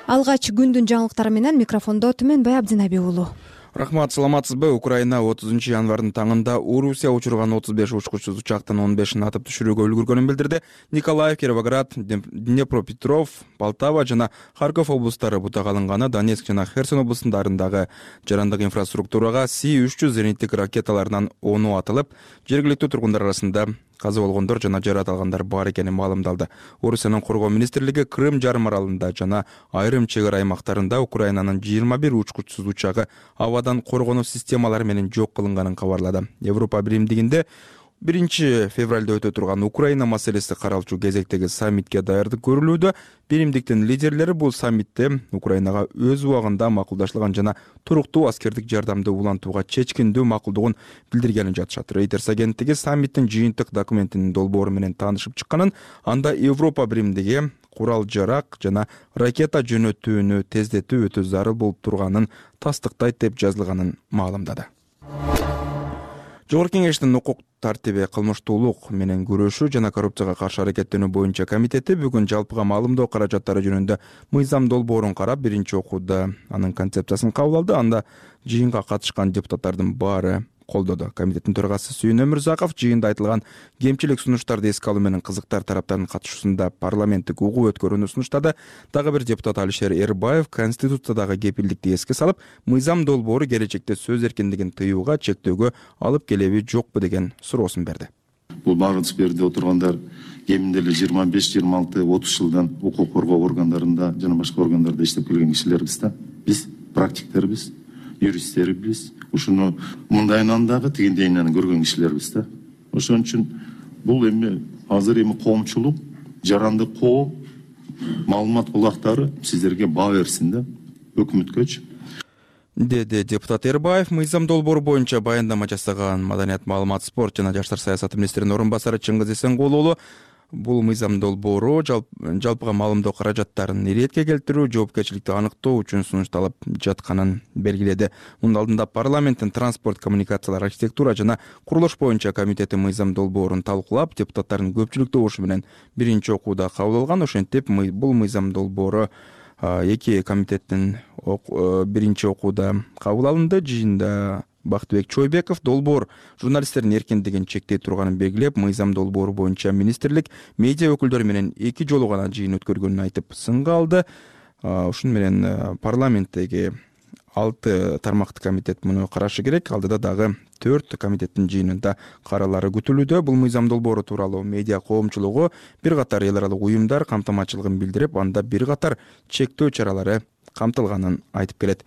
B: Алгач күндүн жаңылыктары менен микрофондо Түмөнбай Абдинаби уулу.
H: Рахмат, саламатсызбы? Украина отузунчу январдын таңында Орусия учурган отуз беш учкучсуз учактын он бешин атып түшүрүүгө үлгүргөнүн билдирди. Николаев, Кировоград, Днепропетров, Полтава жана Харьков облустары бутак алынганы, Донецк жана Херсон облустарындагы жарандык инфраструктурага Си үч жүз зениттик ракеталарынан ону атылып, жергиликтүү тургундар арасында каза болгондор жана жаракат алгандар бар экени маалымдалды. Орусиянын коргоо министрлиги Крым жарым аралында жана айрым чек ара аймактарында Украинанын жыйырма бир учкучсуз учагы абадан коргонуу системалары менен жок кылынганын кабарлады. Европа биримдигинде биринчи февралда өтө турган Украина маселеси каралчу кезектеги саммитке даярдык көрүлүүдө. Биримдиктин лидерлери бул саммитте Украинага өз убагында макулдашылган жана туруктуу аскердик жардамды улантууга чечкиндүү макулдугун билдиргенин жатышат. Reuters агенттиги саммиттин жыйынтык документинин долбоору менен таанышып чыкканын, анда Европа биримдиги курал-жарак жана ракета жөнөтүүнү тездетүү өтө зарыл болуп турганын тастыктайт деп жазылганын маалымдады. Жогорку Кеңештин укук тартиби, кылмыштуулук менен күрөшүү жана коррупцияга каршы аракеттенүү боюнча комитети бүгүн жалпыга маалымдоо каражаттары жөнүндө мыйзам долбоорун карап, биринчи окууда анын концепциясын кабыл алды. Анда жыйынга катышкан депутаттардын баары колдоду. Комитеттин төрагасы Сүйүн Өмүрзаков жыйында айтылган кемчилик сунуштарды эске алуу менен кызыктар тараптардын катышуусунда парламенттик угуу өткөрүүнү сунуштады. Дагы бир депутат Алишер Эрбаев Конституциядагы кепилдикти эске салып, мыйзам долбоору келечекте сөз эркиндигин тыюуга, чектөөгө алып келеби жокпу деген суроосун берди.
I: Бул багыз берди отургандар кеминде эле жыйырма беш жыйырма алты отуз жылдан укук коргоо органдарында жана башка органдарда иштеп келген кишилербиз да. Биз практиктербиз, юристтербиз. Ушуну мындайынан дагы тигиндейинен көргөн кишилербиз да. Ошон үчүн бул эми азыр эми коомчулук, жарандык коо, маалымат булактары сиздерге баа берсин да, өкмөткөчү.
H: Деди депутат Эрбаев. Мыйзам долбоору боюнча баяндама жасаган Маданият, маалымат, спорт жана жаштар саясаты министринин орун басары Чыңгыз Эсенгул уулу бул мыйзам долбоору жалпыга маалымдоо каражаттарын иретке келтирүү, жоопкерчиликти аныктоо үчүн сунушталып жатканын белгиледи. Мунун алдында парламенттин транспорт, коммуникациялар, архитектура жана курулуш боюнча комитети мыйзам долбоорун талкуулап, депутаттардын көпчүлүк добушу менен биринчи окууда кабыл алган. Ошентип бул мыйзам долбоору эки комитеттин биринчи окууда кабыл алынды. Жыйында Бактыбек Чойбеков долбоор журналисттердин эркиндигин чектей турганын белгилеп, мыйзам долбоору боюнча министрлик медиа өкүлдөрү менен эки жолу гана жыйын өткөргөнүн айтып, сынга алды. Ушун менен парламенттеги алты тармактуу комитет муну карашы керек. Алдыда дагы төрт комитеттин жыйынында каралары күтүлүүдө. Бул мыйзам долбоору тууралуу медиа коомчулугу бир катар эл аралык уюмдар камтамачылыгын билдирип, анда бир катар чектөө чаралары камтылганын айтып келет.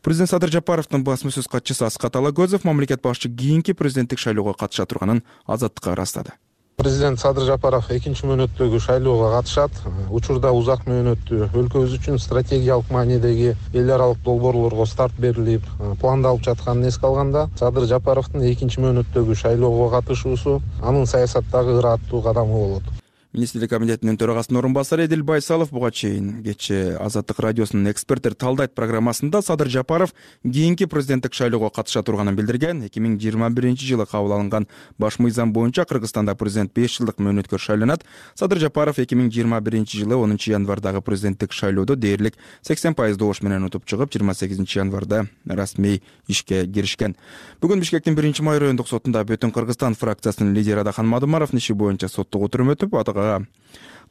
H: Президент Садыр Жапаровдун басма сөз катчысы Аскат Алагөзов мамлекет башчы кийинки президенттик шайлоого катыша турганын Азаттыкка ырастады.
A: Президент Садыр Жапаров экинчи мөөнөттөгү шайлоого катышат. Учурда узак мөөнөттүү өлкөбүз үчүн стратегиялык маанидеги эл аралык долбоорлорго старт берилип, пландалып жатканын эске алганда, Садыр Жапаровдун экинчи мөөнөттөгү шайлоого катышуусу анын саясаттагы ыраттуу кадамы болот.
H: Министрлик комитетинин төрагасынын орун басары Эдил Байсалов буга чейин кечээ Азаттык радиосунун эксперттер талдайт программасында Садыр Жапаров кийинки президенттик шайлоого катыша турганын билдирген. эки миң жыйырма биринчи жылы кабыл алынган баш мыйзам боюнча Кыргызстанда президент беш жылдык мөөнөткө шайланат. Садыр Жапаров эки миң жыйырма биринчи жылы онунчу январдагы президенттик шайлоодо дээрлик сексен пайыз добуш менен утуп чыгып, жыйырма сегизинчи январда расмий ишке киришкен. Бүгүн Бишкектин биринчи май райондук сотунда Бүтүн Кыргызстан фракциясынын лидери Адахан Мадымаровдун иши боюнча соттук отурум өтүп, атага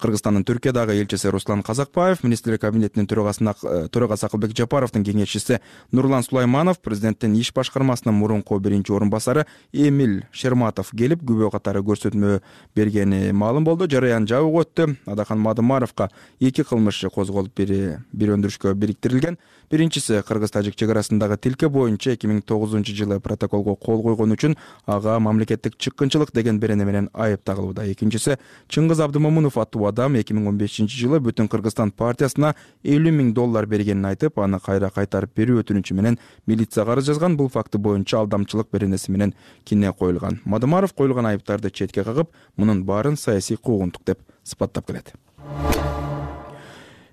H: Кыргызстандын Түркиядагы элчиси Руслан Казакбаев, Министрлик кабинетинин төрагасы Акылбек Жапаровдун кеңешчиси Нурлан Сулайманов, президенттин иш башкармасынын мурунку биринчи орун басары Эмиль Шерматов келип, күбө катары көрсөтмө бергени маалым болду. Жараян жабык өттү. Адахан Мадымаровго эки кылмыш козголуп, бири бир өндүрүшкө бириктирилген. Биринчиси Кыргыз-Тажик чек арасындагы тилке боюнча эки миң тогузунчу жылы протоколго кол койгон үчүн ага мамлекеттик чыккынчылык деген берене менен айып тагылууда. Экинчиси Чыңгыз Абдымомунов аттуу адам эки миң он бешинчи жылы Бүтүн Кыргызстан партиясына элүү миң доллар бергенин айтып, аны кайра кайтарып берүү өтүнүчү менен милицияга арыз жазган. Бул факты боюнча алдамчылык беренеси менен кине коюлган. Мадымаров коюлган айыптарды четке кагып, мунун баарын саясий куугунтук деп сыпаттап келет.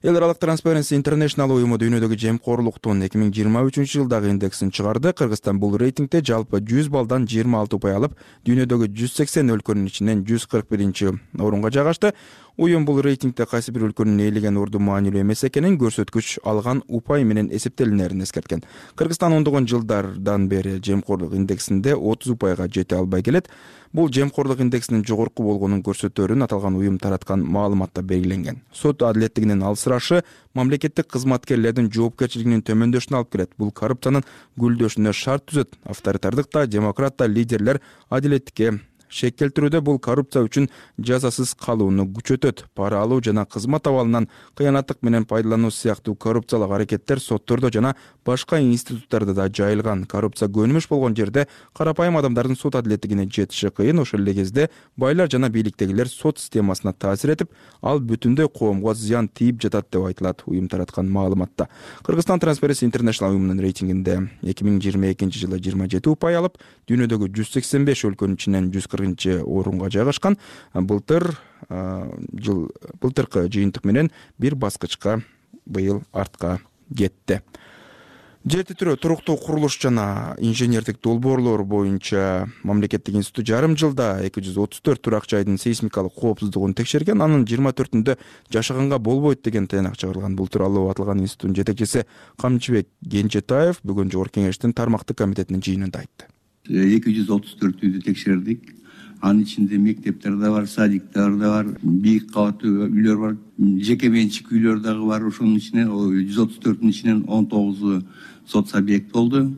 H: Эл аралык Transparency International уюму дүйнөдөгү жемкорлуктун эки миң жыйырма үчүнчү жылдагы индексин чыгарды. Кыргызстан бул рейтингде жалпы жүз балдан жыйырма алты упай алып, дүйнөдөгү жүз сексен өлкөнүн ичинен жүз кырк биринчи орунга жайгашты. Уюм бул рейтингде кайсы бир өлкөнүн ээлеген орду маанилүү эмес экенин, көрсөткүч алган упай менен эсептелинерин эскерткен. Кыргызстан ондогон жылдардан бери жемкорлук индексинде отуз упайга жете албай келет. Бул жемкорлук индексинин жогорку болгонун көрсөтөөрүн аталган уюм тараткан маалыматта белгиленген. Сот адилеттигинин алсырашы мамлекеттик кызматкерлердин жоопкерчилигинин төмөндөшүнө алып келет. Бул коррупциянын гүлдөшүнө шарт түзөт. Авторитардык да, демократ да лидерлер адилеттикке шек келтирүүдө бул коррупция үчүн жазасыз калууну күчөтөт. Пара алуу жана кызмат абалынан кыянаттык менен пайдалануу сыяктуу коррупциялык аракеттер соттордо жана башка институттарда да жайылган. Коррупция көнүмүш болгон жерде карапайым адамдардын сот адилеттигине жетиши кыйын. Ошол эле кезде байлар жана бийликтегилер сот системасына таасир этип, ал бүтүндөй коомго зыян тийип жатат деп айтылат уюм тараткан маалыматта. Кыргызстан Transparency International уюмунун рейтингинде эки миң жыйырма экинчи жылы жыйырма жети упай алып, дүйнөдөгү жүз сексен беш өлкөнүн ичинен жүз кыркынчы орунга жайгашкан. Былтыр жыл былтыркы жыйынтык менен бир баскычка быйыл артка кетти. Жер титирөө, туруктуу курулуш жана инженердик долбоорлор боюнча мамлекеттик институт жарым жылда эки жүз отуз төрт турак жайдын сейсмикалык коопсуздугун текшерген. Анын жыйырма төртүндө жашаганга болбойт деген тыянак чыгарылган. Бул тууралуу аталган институттун жетекчиси Камчыбек Кенжетаев бүгүн Жогорку Кеңештин тармактык комитетинин жыйынында айтты.
J: эки жүз отуз төртүндү текшердик. Анын ичинде мектептер да бар, садиктер да бар, бийик кабаттуу үйлөр бар, жеке менчик үйлөр дагы бар. Ошонун ичинен жүз отуз төртүнүн ичинен он тогузу сот субъект болду.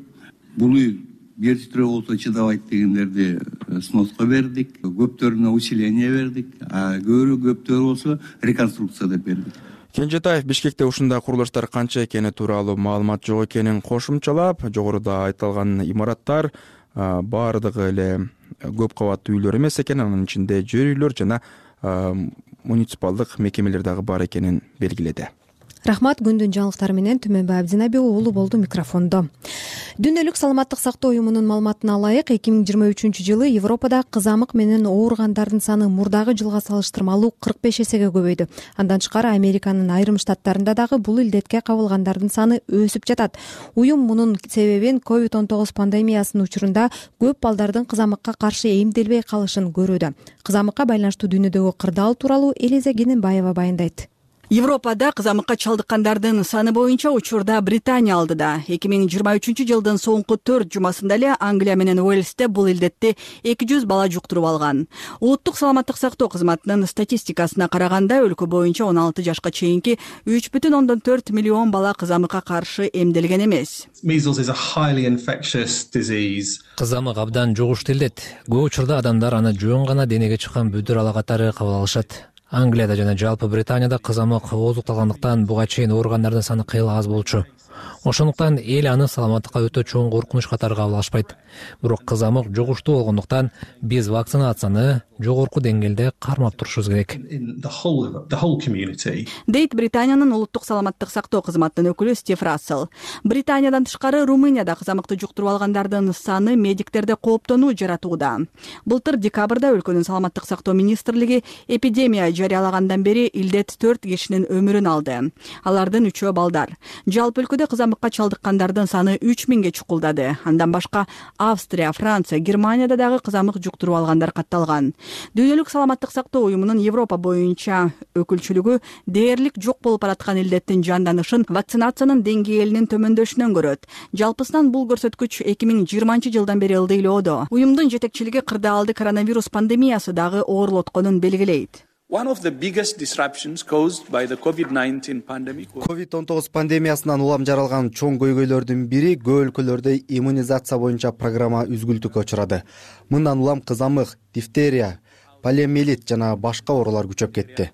J: Бул үй жер титирөө болсо чыдабайт дегендерди сноска бердик, көптөрүнө усиление бердик, а көбүрө көптөрү болсо реконструкция деп бердик.
H: Кенжетаев Бишкекте ушундай курулуштар канча экени тууралуу маалымат жок экенин кошумчалап, жогоруда айтылган имараттар баардыгы эле көп кабаттуу үйлөр эмес экен, анын ичинде жер үйлөр жана муниципалдык мекемелер дагы бар экенин белгиледи.
B: Рахмат. Күндүн жаңылыктары менен Түмөнбай Абдинаби уулу болду микрофондо. Дүйнөлүк саламаттык сактоо уюмунун маалыматына ылайык, эки миң жыйырма үчүнчү жылы Европада кызамык менен ооругандардын саны мурдагы жылга салыштырмалуу кырк беш эсеге көбөйдү. Андан тышкары Американын айрым штаттарында дагы бул илдетке кабылгандардын саны өсүп жатат. Уюм мунун себебин ковид он тогуз пандемиясынын учурунда көп балдардын кызамыкка каршы эмделбей калышын көрүүдө. Кызамыкка байланыштуу дүйнөдөгү кырдаал тууралуу Элиза Кененбаева баяндайт.
K: Европада кызамыкка чалдыккандардын саны боюнча учурда Британия алдыда. эки миң жыйырма үчүнчү жылдын соңку төрт жумасында эле Англия менен Уэльсте бул илдетти эки жүз бала жуктуруп алган. Улуттук саламаттык сактоо кызматынын статистикасына караганда өлкө боюнча он алты жашка чейинки үч бүтүн ондон төрт миллион бала кызамыкка каршы эмделген эмес.
L: Кызамык абдан жугуштуу илдет. Көп учурда адамдар аны жөн гана денеге чыккан бүдүр ала катары кабыл алышат. Англияда жана жалпы Британияда кызамык ооздукталгандыктан буга чейин ооругандардын саны кыйла аз болчу. Ошондуктан эл аны саламаттыкка өтө чоң коркунуч катары кабыл алышпайт. Бирок кызамык жугуштуу болгондуктан биз вакцинацияны жогорку деңгээлде кармап турушубуз керек.
K: Дейт Британиянын улуттук саламаттык сактоо кызматынын өкүлү Стив Рассел. Британиядан тышкары Румынияда кызамыкты жуктуруп алгандардын саны медиктерде кооптонуу жаратууда. Былтыр декабрда өлкөнүн саламаттык сактоо министрлиги эпидемия жарыялагандан бери илдет төрт кишинин өмүрүн алды. Алардын үчөө балдар. Жалпы өлкөдө кызамыкка чалдыккандардын саны үч миңге чукулдады. Андан башка Австрия, Франция, Германияда дагы кызамык жуктуруп алгандар катталган. Дүйнөлүк саламаттык сактоо уюмунун Европа боюнча өкүлчүлүгү дээрлик жок болуп бараткан илдеттин жанданышын вакцинациянын деңгээлинин төмөндөшүнөн көрөт. Жалпысынан бул көрсөткүч эки миң жыйырманчы жылдан бери ылдыйлоодо. Уюмдун жетекчилиги кырдаалды коронавирус пандемиясы дагы оорлотконун белгилейт.
M: ковид он тогуз пандемиясынан улам жаралган чоң көйгөйлөрдүн бири көп өлкөлөрдө иммунизация боюнча программа үзгүлтүккө учурады. Мындан улам кызамык, дифтерия, полиомиелит жана башка оорулар күчөп кетти.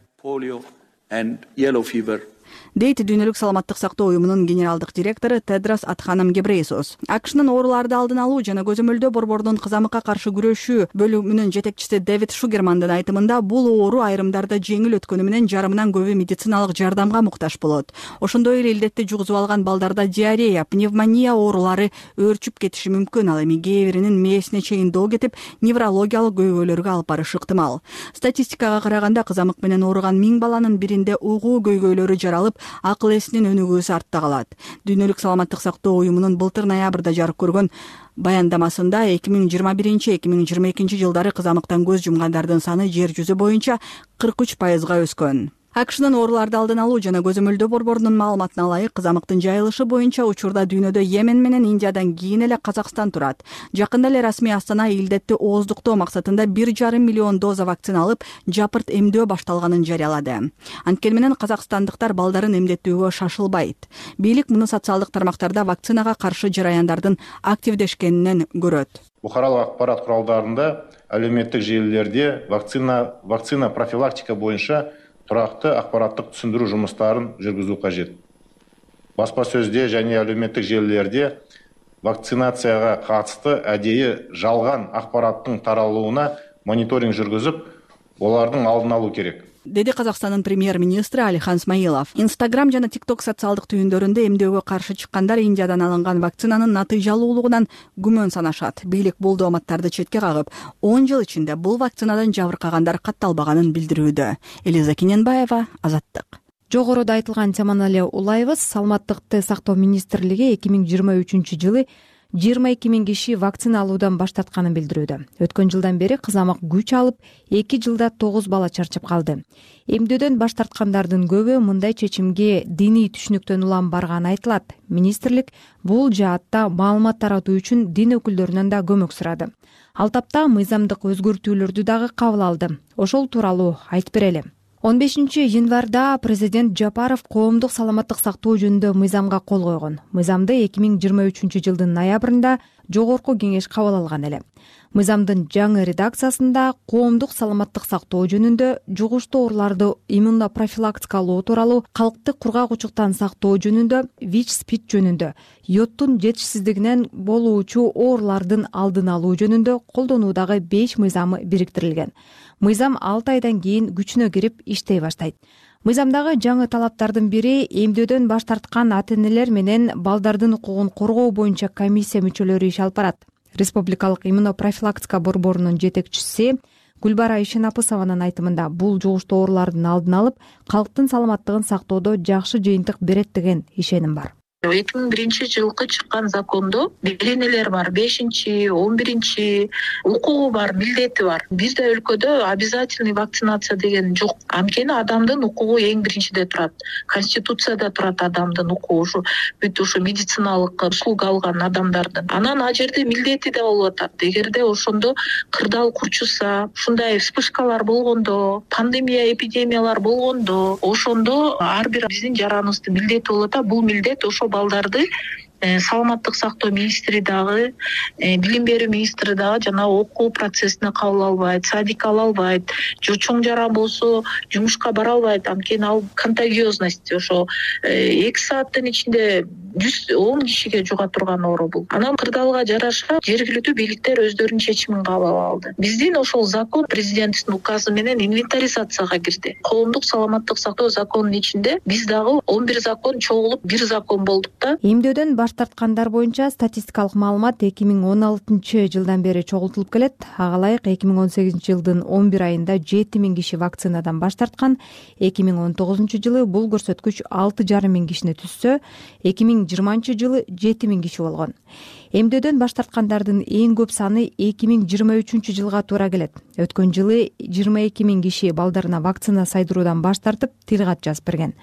K: Дейт Дүйнөлүк саламаттык сактоо уюмунун генералдык директору Тедрос Адханом Гебрейсус. АКШнын ооруларды алдын алуу жана көзөмөлдөө борборунун кызамыкка каршы күрөшүү бөлүмүнүн жетекчиси Дэвид Шугермандын айтымында бул оору айрымдарда жеңил өткөнү менен жарымынан көбү медициналык жардамга муктаж болот. Ошондой эле илдетти жугузуп алган балдарда диарея, пневмония оорулары өөрчүп кетиши мүмкүн. Ал эми кээ биринин мээсине чейин доо кетип, неврологиялык көйгөйлөргө алып барышы ыктымал. Статистикага караганда кызамык менен ооруган миң баланын биринде угуу көйгөйлөрү жаралып, акыл эсинин өнүгүүсү артта калат. Дүйнөлүк саламаттык сактоо уюмунун былтыр ноябрда жарык көргөн баяндамасында эки миң жыйырма биринчи эки миң жыйырма экинчи жылдары кызамыктан көз жумгандардын саны жер жүзү боюнча кырк үч пайызга өскөн. АКШнын ооруларды алдын алуу жана көзөмөлдөө борборунун маалыматына ылайык, кызамыктын жайылышы боюнча учурда дүйнөдө Йемен менен Индиядан кийин эле Казакстан турат. Жакында эле расмий Астана илдетти ооздуктоо максатында бир жарым миллион доза вакцина алып, жапырт эмдөө башталганын жарыялады. Анткени менен казакстандыктар балдарын эмдеттүүгө шашылбайт. Бийлик муну социалдык тармактарда вакцинага каршы жараяндардын активдешкенинен көрөт.
N: Бухаралык акпарат куралдарында, әлеуметтик желилерде вакцина вакцина профилактика боюнча туракты акпараттык түшүндүрүү жумуштарын жүргүзүү кажет. Баспа сөздө жана әлеуметтик желилерде вакцинацияга катысты адейи жалган акпараттын таралууна мониторинг жүргүзүп, олардын алдын алуу керек,
K: деди Казакстандын премьер-министри Алихан Смаилов. Инстаграм жана тикток социалдык түйүндөрүндө эмдөөгө каршы чыккандар Индиядан алынган вакцинанын натыйжалуулугунан күмөн санашат. Бийлик бул дооматтарды четке кагып, он жыл ичинде бул вакцинадан жабыркагандар катталбаганын билдирүүдө. Элиза Кененбаева, Азаттык.
B: Жогоруда айтылган теманы эле улайбыз. Саламаттыкты сактоо министрлиги эки миң жыйырма үчүнчү жылы жыйырма эки миң киши вакцина алуудан баш тартканын билдирүүдө. Өткөн жылдан бери кызамык күч алып, эки жылда тогуз бала чарчап калды. Эмдөөдөн баш тарткандардын көбү мындай чечимге диний түшүнүктөн улам барганы айтылат. Министрлик бул жаатта маалымат таратуу үчүн дин өкүлдөрүнөн да көмөк сурады. Ал тапта мыйзамдык өзгөртүүлөрдү дагы кабыл алды. Ошол тууралуу айтып берели. он бешинчи январда президент Жапаров коомдук саламаттык сактоо жөнүндө мыйзамга кол койгон. Мыйзамды эки миң жыйырма үчүнчү жылдын ноябрында жогорку кеңеш кабыл алган эле. Мыйзамдын жаңы редакциясында коомдук саламаттык сактоо жөнүндө, жугуштуу ооруларды иммунопрофилактикалоо тууралуу, калкты кургагучуктан сактоо жөнүндө, ВИЧ-СПИД жөнүндө, йодтун жетишсиздигинен болуучу оорулардын алдын алуу жөнүндө колдонуудагы беш мыйзамы бириктирилген. Мыйзам алты айдан кийин күчүнө кирип иштей баштайт. Мыйзамдагы жаңы талаптардын бири эмдөөдөн баш тарткан ата-энелер менен балдардын укугун коргоо боюнча комиссия мүчөлөрү иш алып барат. Республикалык иммунопрофилактика борборунун жетекчиси Гүлбара Ишенапысованын айтымында бул жугуштуу оорулардын алдын алып, калктын саламаттыгын сактоодо жакшы жыйынтык берет деген ишеним бар.
C: эки миң биринчи жылкы чыккан закондо беренелер бар, бешинчи он биринчи укугу бар, милдети бар. Бизде өлкөдө обязательный вакцинация деген жок. Анткени адамдын укугу эң биринчиде турат. Конституцияда турат адамдын укугу, ушу бүт ушу медициналык услуга алган адамдардын. Анан ал жерде милдети да болуп атат. Эгерде ошондо кырдаал курчуса, ушундай вспышкалар болгондо, пандемия, эпидемиялар болгондо, ошондо ар бир биздин жараныбыздын милдети болуп атат. Бул милдет ошо балдарды саламаттык сактоо министри дагы, билим берүү министри дагы жана окуу процессине кабыл албайт, садикке ала албайт, же чоң жаран болсо жумушка бара албайт. Анткени ал контагиозность ошо эки сааттын ичинде жүз он кишиге жуга турган оору бул. Анан кырдаалга жараша жергиликтүү бийликтер өздөрүнүн чечимин кабыл алды. Биздин ошол закон президенттин указы менен инвентаризацияга кирди. Коомдук саламаттык сактоо законунун ичинде биз дагы он бир закон чогулуп бир закон болдук да.
B: Эмдөөдөн баш тарткандар боюнча статистикалык маалымат эки миң он алтынчы жылдан бери чогултулуп келет. Ага ылайык эки миң он сегизинчи жылдын он бир айында жети миң киши вакцинадан баш тарткан. эки миң он тогузунчу жылы бул көрсөткүч алты жарым миң кишини түзсө, эки миң жыйырманчы жылы жети миң киши болгон. Эмдөөдөн баш тарткандардын эң көп саны эки миң жыйырма үчүнчү жылга туура келет. Өткөн жылы жыйырма эки миң киши балдарына вакцина сайдыруудан баш тартып, тил кат жазып берген.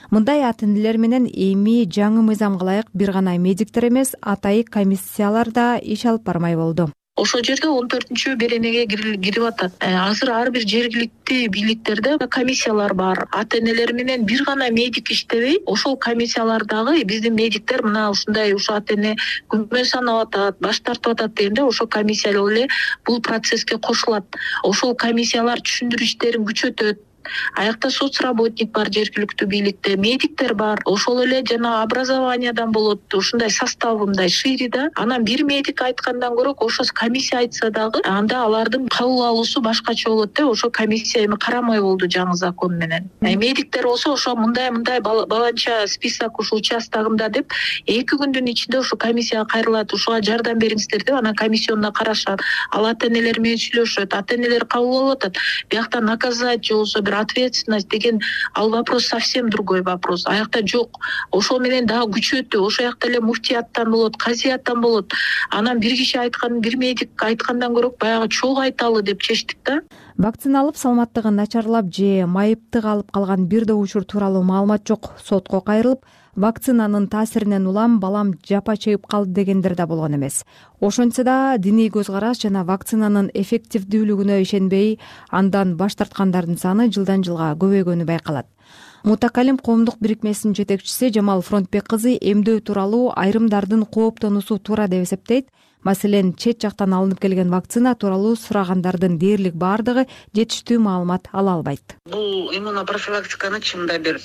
B: Мындай ата-энелер менен эми жаңы мыйзамга ылайык бир гана медиктер эмес, атайык комиссиялар да иш алып бармай болду.
C: Ошол жерде он төртүнчү беренеге кирип атат. Азыр ар бир жергиликтүү бийликтерде комиссиялар бар. Ата-энелер менен бир гана медик иштебей, ошол комиссиялардагы биздин медиктер мына ушундай ушу ата-эне күмөн санап атат, баш тартып атат дегенде ошол комиссиялар эле бул процесске кошулат. Ошол комиссиялар түшүндүрүү иштерин күчөтөт. Аякта соцработник бар жергиликтүү бийликте, медиктер бар. Ошол эле жана образованиядан болот. Ушундай состав мындай шире да. Анан бир медик айткандан көрө ошо комиссия айтса дагы, анда алардын кабыл алуусу башкача болот да. Ошо комиссия эми карамай болду жаңы закон менен. Медиктер болсо ошо мындай мындай баланча список ушул участогунда деп эки күндүн ичинде ошо комиссияга кайрылат. Ушуга жардам бериңиздер деп анан комиссиондо карашат. Ал ата-энелер менен сүйлөшөт. Ата-энелер кабыл алып атат. Биякта наказать же болсо ответственность деген ал вопрос совсем другой вопрос. Аякта жок. Ошол менен дагы күчөтүү. Ошол жакта эле муфтияттан болот, казияттан болот. Анан бир киши айткан, бир медик айткандан көрө баягы чогуу айталы деп чечтик да.
B: Вакцина алып саламаттыгы начарлап же майыптык алып калган бир да учур тууралуу маалымат жок. Сотко кайрылып, вакцинанын таасиринен улам балам жапа чегип калды дегендер да болгон эмес. Ошентсе да диний көз караш жана вакцинанын эффективдүүлүгүнө ишенбей, андан баш тарткандардын саны жылдан жылга көбөйгөнү байкалат. Мутакалим коомдук бирикмесинин жетекчиси Жамал Фронтбек кызы эмдөө тууралуу айрымдардын кооптонуусу туура деп эсептейт. Маселен, чет жактан алынып келген вакцина тууралуу сурагандардын дээрлик баардыгы жетиштүү маалымат ала албайт.
Y: Бул иммунопрофилактиканы чынында бир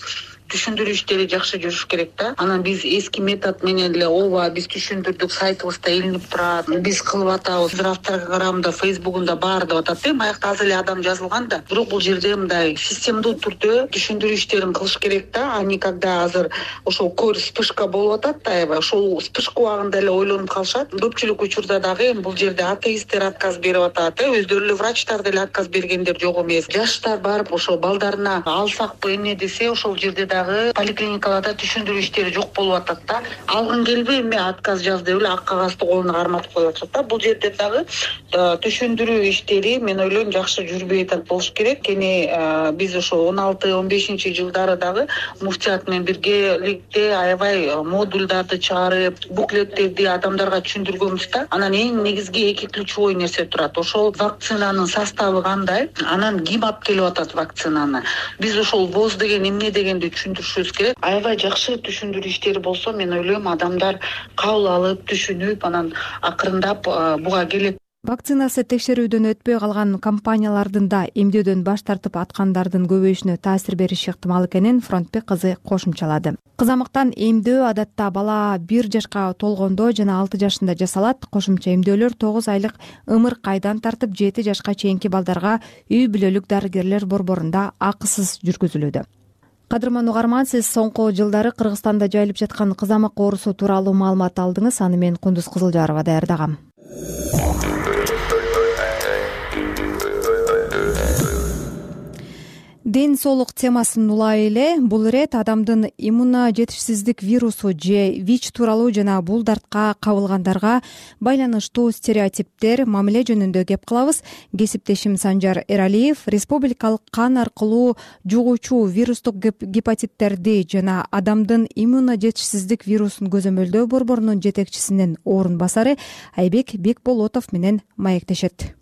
Y: түшүндүрүү иштери жакшы жүрүш керек да. Анан биз эски метод менен эле ооба биз түшүндүрдүк, сайтыбызда илинип турат, биз кылып атабыз, Инстаграмда, Фейсбугунда бар деп атат да. Аякта аз эле адам жазылган да. Бирок бул жерде мындай системдүү түрдө түшүндүрүү иштерин кылыш керек да. Ани когда азыр ошол көр вспышка болуп атат да, аябай ошол вспышка убагында эле ойлонуп калышат. Көпчүлүк учурда дагы бул жерде атеисттер отказ берип атат, өздөрү эле врачтар деле отказ бергендер жок эмес. Жаштар барып ошо балдарына алсакпы эмне десе, ошол жерде дагы поликлиникаларда түшүндүрүү иштери жок болуп атат да. Алгың келбей эме отказ жаз деп эле ак кагазды колуна карматып коюп атышат да. Бул жерде дагы түшүндүрүү иштери мен ойлойм жакшы жүрбөй атат болуш керек. Кени биз ошо он алты он бешинчи жылдары дагы муфтият менен биргеликте аябай модулдарды чыгарып, буклеттерди адамдарга түшүндүргөнбүз да. Анан эң негизги эки ключевой нерсе турат. Ошол вакцинанын составы кандай, анан ким алып келип атат вакцинаны. Биз ошол воз деген эмне дегенди түшүндүрүшүбүз керек. Аябай жакшы түшүндүрүү иштери болсо, мен ойлойм адамдар кабыл алып, түшүнүп, анан акырындап буга келет.
B: Вакцинасы текшерүүдөн өтпөй калган компаниялардын да эмдөөдөн баш тартып аткандардын көбөйүшүнө таасир бериши ыктымал экенин Фронтбек кызы кошумчалады. Кызамыктан эмдөө адатта бала бир жашка толгондо жана алты жашында жасалат. Кошумча эмдөөлөр тогуз айлык ымыркайдан тартып жети жашка чейинки балдарга үй бүлөлүк дарыгерлер борборунда акысыз жүргүзүлүүдө. Кадырман угарман, сиз соңку жылдары Кыргызстанда жайылып жаткан кызамык оорусу тууралуу маалымат алдыңыз. Аны мен Кундуз Кызылжарова даярдагам. ден соолук темасын улай эле бул ирет адамдын иммуно жетишсиздик вирусу же вич тууралуу жана бул дартка кабылгандарга байланыштуу стереотиптер, мамиле жөнүндө кеп кылабыз. Кесиптешим Санжар Эралиев республикалык кан аркылуу жугуучу вирустук гепатиттерди жана адамдын иммуно жетишсиздик вирусун көзөмөлдөө борборунун жетекчисинин орун басары Айбек Бекболотов менен маектешет.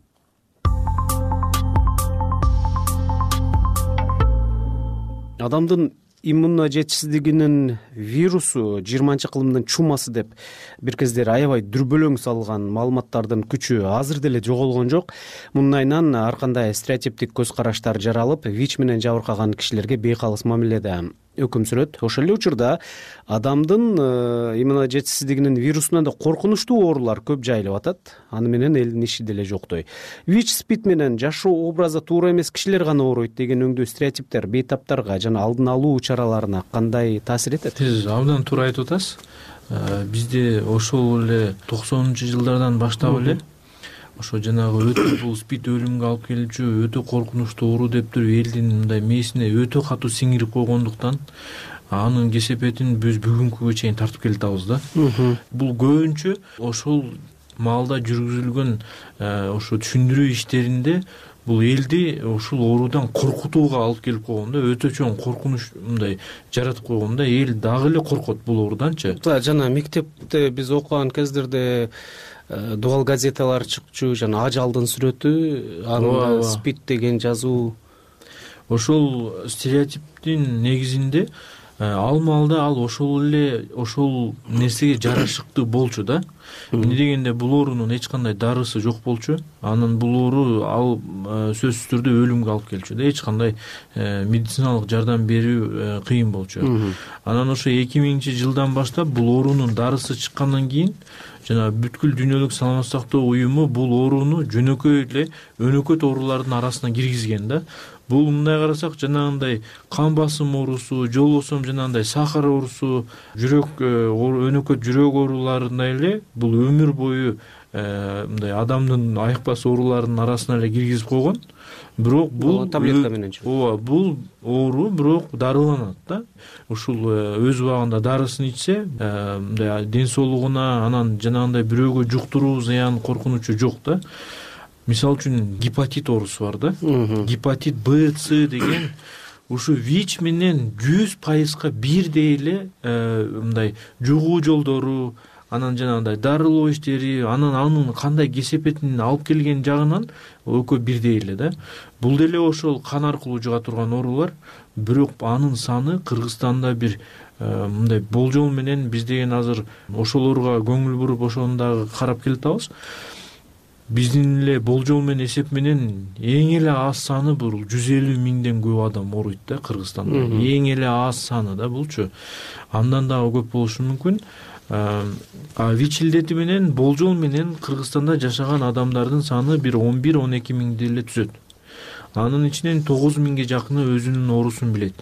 F: Адамдын иммуно жетишсиздигинин вирусу жыйырманчы кылымдын чумасы деп бир кездери аябай дүрбөлөң салган маалыматтардын күчү азыр деле жоголгон жок. Мунун айынан ар кандай стереотиптик көз караштар жаралып, вич менен жабыркаган кишилерге бейкалыс мамиледе өкүм сүрөт. Ошол эле учурда адамдын иммуно жетишсиздигинин вирусунан да коркунучтуу оорулар көп жайылып атат. Аны менен элдин иши деле жоктой. вич спид менен жашоо образы туура эмес кишилер гана ооруйт деген өңдүү стереотиптер бейтаптарга жана алдын алуу чараларына кандай таасир этет?
G: Сиз абдан туура айтып атасыз. Бизде ошол эле токсонунчу жылдардан баштап эле ошо жанагы өтө бул спид өлүмгө алып келүүчү өтө коркунучтуу оору деп туруп элдин мындай мээсине өтө катуу сиңирип койгондуктан анын кесепетин биз бүгүнкүгө чейин тартып келатабыз да. Бул көбүнчө ошол маалда жүргүзүлгөн ошо түшүндүрүү иштеринде бул элди ушул оорудан коркутууга алып келип койгон да, өтө чоң коркунуч мындай жаратып койгон да, эл дагы эле коркот бул ооруданчы.
F: Жана мектепте биз окуган кездерде дубал газеталар чыкчу, жана ажалдын сүрөтү, анда спид деген жазуу.
G: Ошол стереотиптин негизинде ал маалда ал ошол эле ошол нерсеге жарашыктуу болчу да. Эмне дегенде бул оорунун эч кандай дарысы жок болчу. Анын бул оору ал сөзсүз түрдө өлүмгө алып келчү да. Эч кандай медициналык жардам берүү кыйын болчу. Анан ошо эки миңинчи жылдан баштап бул оорунун дарысы чыккандан кийин жана бүткүл дүйнөлүк саламаттык сактоо уюму бул ооруну жөнөкөй эле өнөкөт оорулардын арасына киргизген да. Бул мындай карасак жанагындай кан басым оорусу, жол босом жанагындай сахар оорусу, жүрөк өнөкөт жүрөк ооруларындай эле бул өмүр бою мындай адамдын айыкпас ооруларынын арасына эле киргизип койгон. Бирок бул
F: таблетка менен
G: ооба бул оору бирок дарыланат да. Ушул өз убагында дарысын ичсе мындай ден соолугуна анан жанагындай бирөөгө жуктуруу зыян коркунучу жок да. Мисалы үчүн гепатит оорусу бар да. Гепатит Б, С деген ушу вич менен жүз пайызга бирдей эле мындай жугуу жолдору, анан жанагындай дарылоо иштери, анан анын кандай кесепетин алып келген жагынан экөө бирдей эле да. Бул деле ошол кан аркылуу жуга турган оорулар, бирок анын саны Кыргызстанда бир мындай болжол менен биз деген азыр ошолорго көңүл буруп ошону дагы карап келатабыз. Биздин эле болжол менен эсеп менен эң эле аз саны бул жүз элүү миңден көп адам ооруйт да Кыргызстанда. Эң эле аз саны да булчу. Андан дагы көп болушу мүмкүн. А ВИЧ илдети менен болжол менен Кыргызстанда жашаган адамдардын саны бир он бир он эки миңди эле түзөт. Анын ичинен тогуз миңге жакыны өзүнүн оорусун билет.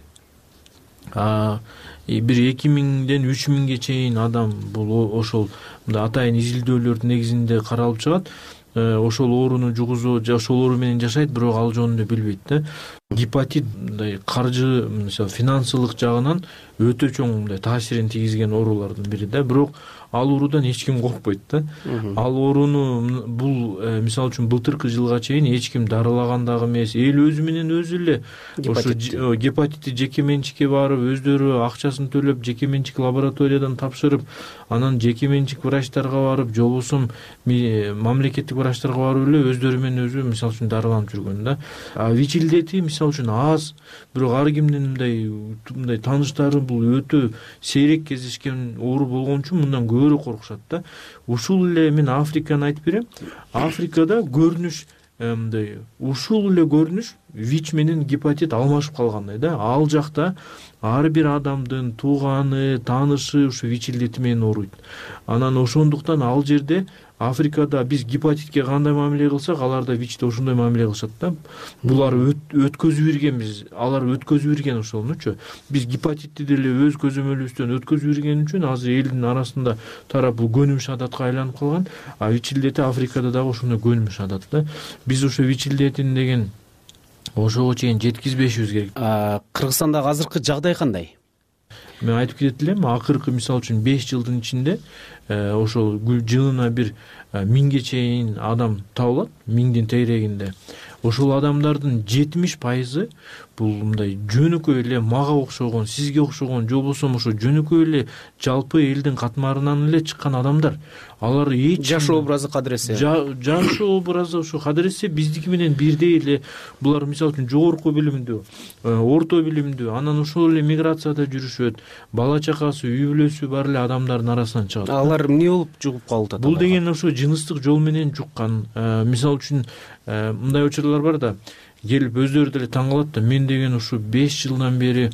G: А бир эки миңден үч миңге чейин адам бул ошол мындай атайын изилдөөлөр негизинде каралып чыгат. Ошол ооруну жугузуу, ошол оору менен жашайт, бирок ал жөнүндө билбейт да. Гепатит мындай каржы, мисалы финансылык жагынан өтө чоң мындай таасирин тийгизген оорулардын бири да. Бирок ал оорудан эч ким коркпойт да. Ал ооруну бул мисалы үчүн былтыркы жылга чейин эч ким дарылаган дагы эмес. Эл өзү менен өзү эле ошо гепатитти жеке менчикке барып, өздөрү акчасын төлөп, жеке менчик лабораториядан тапшырып, анан жеке менчик врачтарга барып, же болбосо мамлекеттик врачтарга барып эле өздөрү менен өзү мисалы үчүн дарыланып жүргөн да. А ВИЧ илдети мисалы үчүн аз, бирок ар кимдин мындай мындай тааныштары бул өтө сейрек кездешкен оору болгон үчүн мындан көбүрөөк коркушат да. Ушул эле мен Африканы айтып берем. Африкада көрүнүш мындай ушул эле көрүнүш ВИЧ менен гепатит алмашып калгандай да. Ал жакта ар бир адамдын тууганы, таанышы ушу ВИЧ илдети менен ооруйт. Анан ошондуктан ал жерде Африкада биз гепатитке кандай мамиле кылсак, аларда ВИЧте ошондой мамиле кылышат да. Булар өткөзүп иргенбиз, алар өткөзүп ирген ошонучу. Биз гепатитти деле өз көзөмөлүбүздөн өткөзүп ирген үчүн азыр элдин арасында тарап бул көнүмүш адатка айланып калган. А ВИЧ илдети Африкада дагы ошондой көнүмүш адат да. Биз ошо ВИЧ илдетин деген ошого чейин жеткизбешибиз керек.
F: Кыргызстандагы азыркы жагдай кандай?
G: Мен айтып кетет элем, акыркы мисалы үчүн беш жылдын ичинде ошол жылына бир миңге чейин адам табылат, миңдин тегерегинде. Ошол адамдардын жетимиш пайызы бул мындай жөнөкөй эле мага окшогон, сизге окшогон, же болбосо ошо жөнөкөй эле жалпы элдин катмарынан эле чыккан адамдар. Алар эч
F: жашоо образы кадыресе,
G: жашоо образы ошо кадыресе биздики менен бирдей эле. Булар мисалы үчүн жогорку билимдүү, орто билимдүү, анан ошол эле миграцияда жүрүшөт, бала чакасы, үй бүлөсү бар эле адамдардын арасынан чыгат.
F: Алар эмне болуп жугуп калып атат?
G: Бул деген ошо жыныстык жол менен жуккан. Мисалы үчүн мындай учурлар бар да, келип өздөрү деле таң калат да, мен деген ушу беш жылдан бери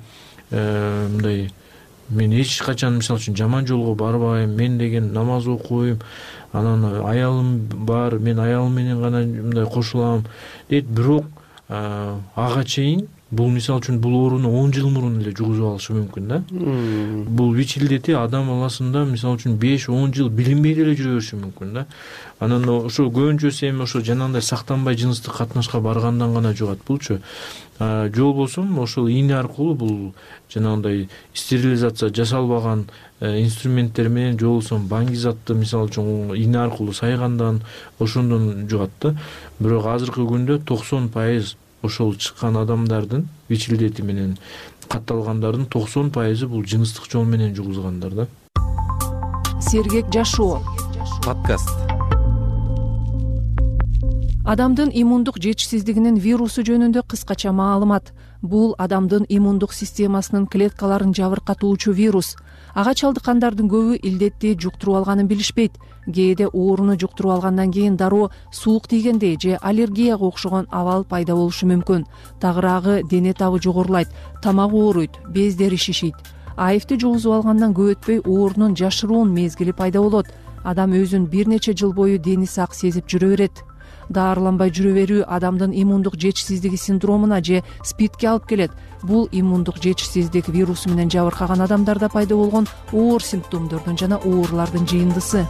G: мындай мен эч качан мисалы үчүн жаман жолго барбайм, мен деген намаз окуйм, анан аялым бар, мен аялым менен гана мындай кошулам дейт. Бирок ага чейин бул мисалы үчүн бул ооруну он жыл мурун эле жугузуп алышы мүмкүн да. Бул ВИЧ илдети адам баласында мисалы үчүн беш он жыл билинбей деле жүрө бериши мүмкүн да. Анан ошо көбүнчөсү эми ошо жанагындай сактанбай жыныстык катнашка баргандан гана жугат булчу. Же болбосо ошол ийне аркылуу бул жанагындай стерилизация жасалбаган инструменттер менен, же болбосо баңги-затты мисалы үчүн ийне аркылуу сайгандан ошондон жугат да. Бирок азыркы күндө токсон пайыз ошол чыккан адамдардын, ВИЧ илдети менен катталгандардын токсон пайызы бул жыныстык жол менен жугузгандар да.
D: Сергек жашоо
Q: подкаст.
D: Адамдын иммундук жетишсиздигинин вирусу жөнүндө кыскача маалымат. Бул адамдын иммундук системасынын клеткаларын жабыркатуучу вирус. Ага чалдыккандардын көбү илдетти жуктуруп алганын билишпейт. Кээде ооруну жуктуруп алгандан кийин дароо суук тийгендей же аллергияга окшогон абал пайда болушу мүмкүн. Тагыраагы, дене табы жогорулайт, тамак ооруйт, бездери шишийт. АИВди жугузуп алгандан көп өтпөй оорунун жашыруун мезгили пайда болот. Адам өзүн бир нече жыл бою дени сак сезип жүрө берет. Даарыланбай жүрө берүү адамдын иммундук жетишсиздиги синдромуна же спидке алып келет. Бул иммундук жетишсиздик вирусу менен жабыркаган адамдарда пайда болгон оор симптомдордун жана оорулардын жыйындысы.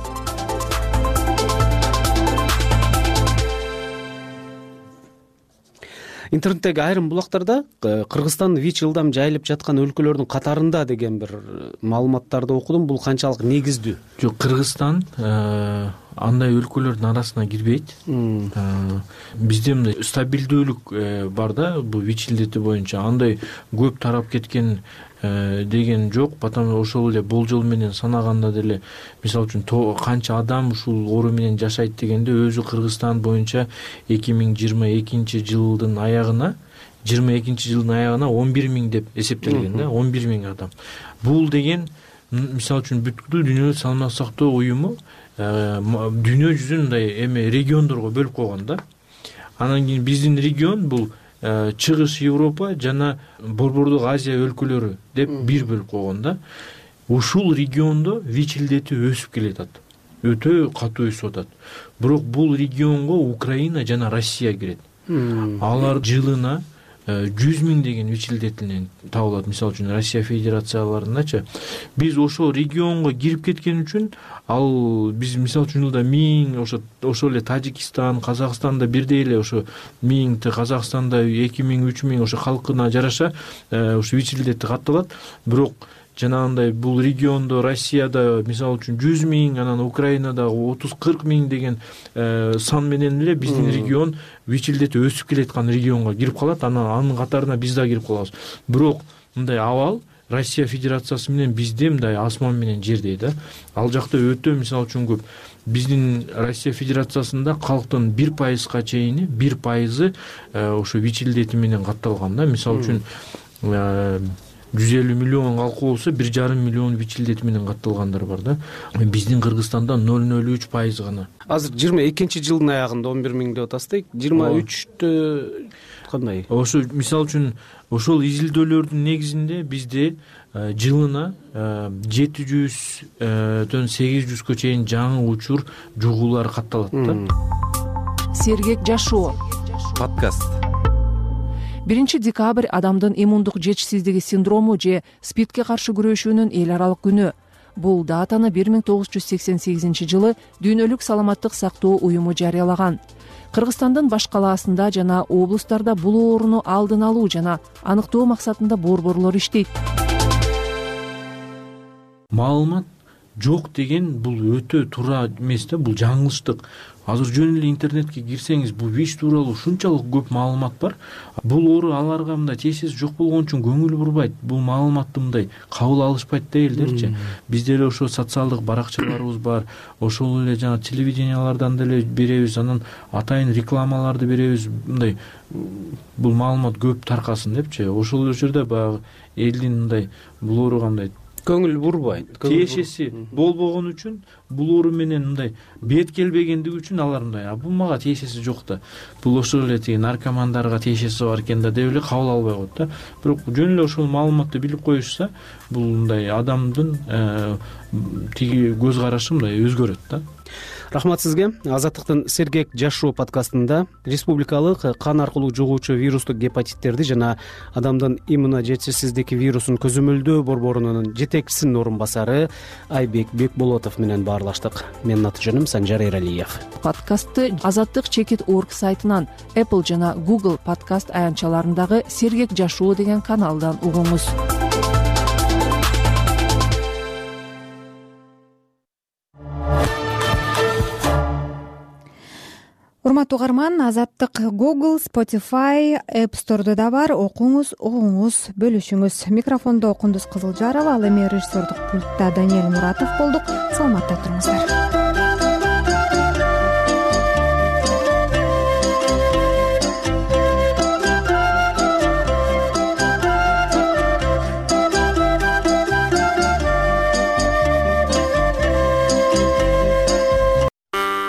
F: Интернеттеги айрым булактарда Кыргызстан ВИЧ ылдам жайылып жаткан өлкөлөрдүн катарында деген бир маалыматтарды окудум. Бул канчалык негиздүү?
G: Жок, Кыргызстан андай өлкөлөрдүн арасына кирбейт. Бизде мындай стабилдүүлүк бар да, бул ВИЧ илдети боюнча андай көп тарап кеткен деген жок. Потому ошол эле болжол менен санаганда деле мисалы үчүн канча адам ушул оору менен жашайт дегенде өзү Кыргызстан боюнча эки миң жыйырма экинчи жылдын аягына жыйырма экинчи жылдын аягына он бир миң деп эсептелген да, он бир миң адам. Бул деген мисалы үчүн бүткүл дүйнөлүк саламаттык сактоо уюму дүйнө жүзүн мындай эме региондорго бөлүп койгон да. Анан кийин биздин регион бул Чыгыш Европа жана Борбордук Азия өлкөлөрү деп бир бөлүп койгон да. Ушул региондо ВИЧ илдети өсүп келатат. Өтө катуу өсүп атат. Бирок бул регионго Украина жана Россия кирет. Алар жылына жүз миң деген ВИЧ илдетинен табылат. Мисалы үчүн Россия Федерацияларындачы. Биз ошол регионго кирип кеткен үчүн ал биз мисалы үчүн жылда миң, ошо ошол эле Тажикстан, Казакстанда бирдей эле ошо миң, Казакстанда эки миң, үч миң ошо халкына жараша ошо ВИЧ илдети катталат. Бирок жанагындай бул региондо Россияда мисалы үчүн жүз миң, анан Украинада отуз кырк миң деген сан менен эле биздин регион ВИЧ илдети өсүп келаткан регионго кирип калат. Анан анын катарына биз да кирип калабыз. Бирок мындай абал Россия Федерациясы менен бизде мындай асман менен жердей да. Ал жакта өтө мисалы үчүн көп. Биздин Россия Федерациясында калктын бир пайызга чейини, бир пайызы ошо ВИЧ илдети менен катталган да. Мисалы үчүн жүз элүү миллион калкы болсо бир жарым миллион ВИЧ илдети менен катталгандар бар да. Биздин Кыргызстанда ноль ноль үч пайыз гана.
F: Азыр жыйырма экинчи жылдын аягында он бир миң деп атасыз. жыйырма үчтө кандай?
G: Ошо мисалы үчүн ошол изилдөөлөрдүн негизинде бизде жылына жети жүздөн сегиз жүзгө чейин жаңы учур жугуулар катталат да.
D: Сергек жашоо
Q: подкаст.
D: биринчи декабрь адамдын иммундук жетишсиздиги синдрому же спидке каршы күрөшүүнүн эл аралык күнү. Бул датаны бир миң тогуз жүз сексен сегизинчи жылы Дүйнөлүк саламаттык сактоо уюму жарыялаган. кыргызстандын баш калаасында жана облустарда бул ооруну алдын алуу жана аныктоо максатында борборлор иштейт.
G: Маалымат жок деген бул өтө туура эмес да, бул жаңылыштык. Азыр жөн эле интернетке кирсеңиз, бул ВИЧ тууралуу ушунчалык көп маалымат бар. Бул оору аларга мындай тиешеси жок болгон үчүн көңүл бурбайт, бул маалыматты мындай кабыл алышпайт да элдерчи. Бизде эле ошо социалдык баракчаларыбыз бар, ошол эле жана телевидениялардан деле беребиз, анан атайын рекламаларды беребиз, мындай бул маалымат көп таркасын депчи. Ошол жерде баягы элдин мындай бул ооруга мындай
F: көңүл бурбайт,
G: тиешеси болбогон үчүн, бул оору менен мындай бет келбегендиги үчүн алар мындай, а бул мага тиешеси жок да, бул ошол эле тиги наркомандарга тиешеси бар экен да деп эле кабыл албай коет да. Бирок жөн эле ошол маалыматты билип коюшса, бул мындай адамдын тиги көз карашы мындай өзгөрөт да.
F: Рахмат сизге. Азаттыктын Сергек жашоо подкастында республикалык кан аркылуу жугуучу вирустук гепатиттерди жана адамдын иммуножетишсиздик вирусун көзөмөлдөө борборунун жетекчисинин орун басары Айбек Бекболотов менен баарлаштык. Менин аты жөнүм Санжар Эралиев.
D: Подкастты азаттык чекит орг сайтынан, Apple жана Google подкаст аянтчаларындагы Сергек жашоо деген каналдан угуңуз.
B: Урматтуу угарман, Азаттык Google, Spotify, App Store'да да бар. Окуңуз, угуңуз, бөлүшүңүз. Микрофондо Кундуз Кызылжарова, ал эми режиссердик пультта Даниэль Муратов болдук. Саламатта туруңуздар.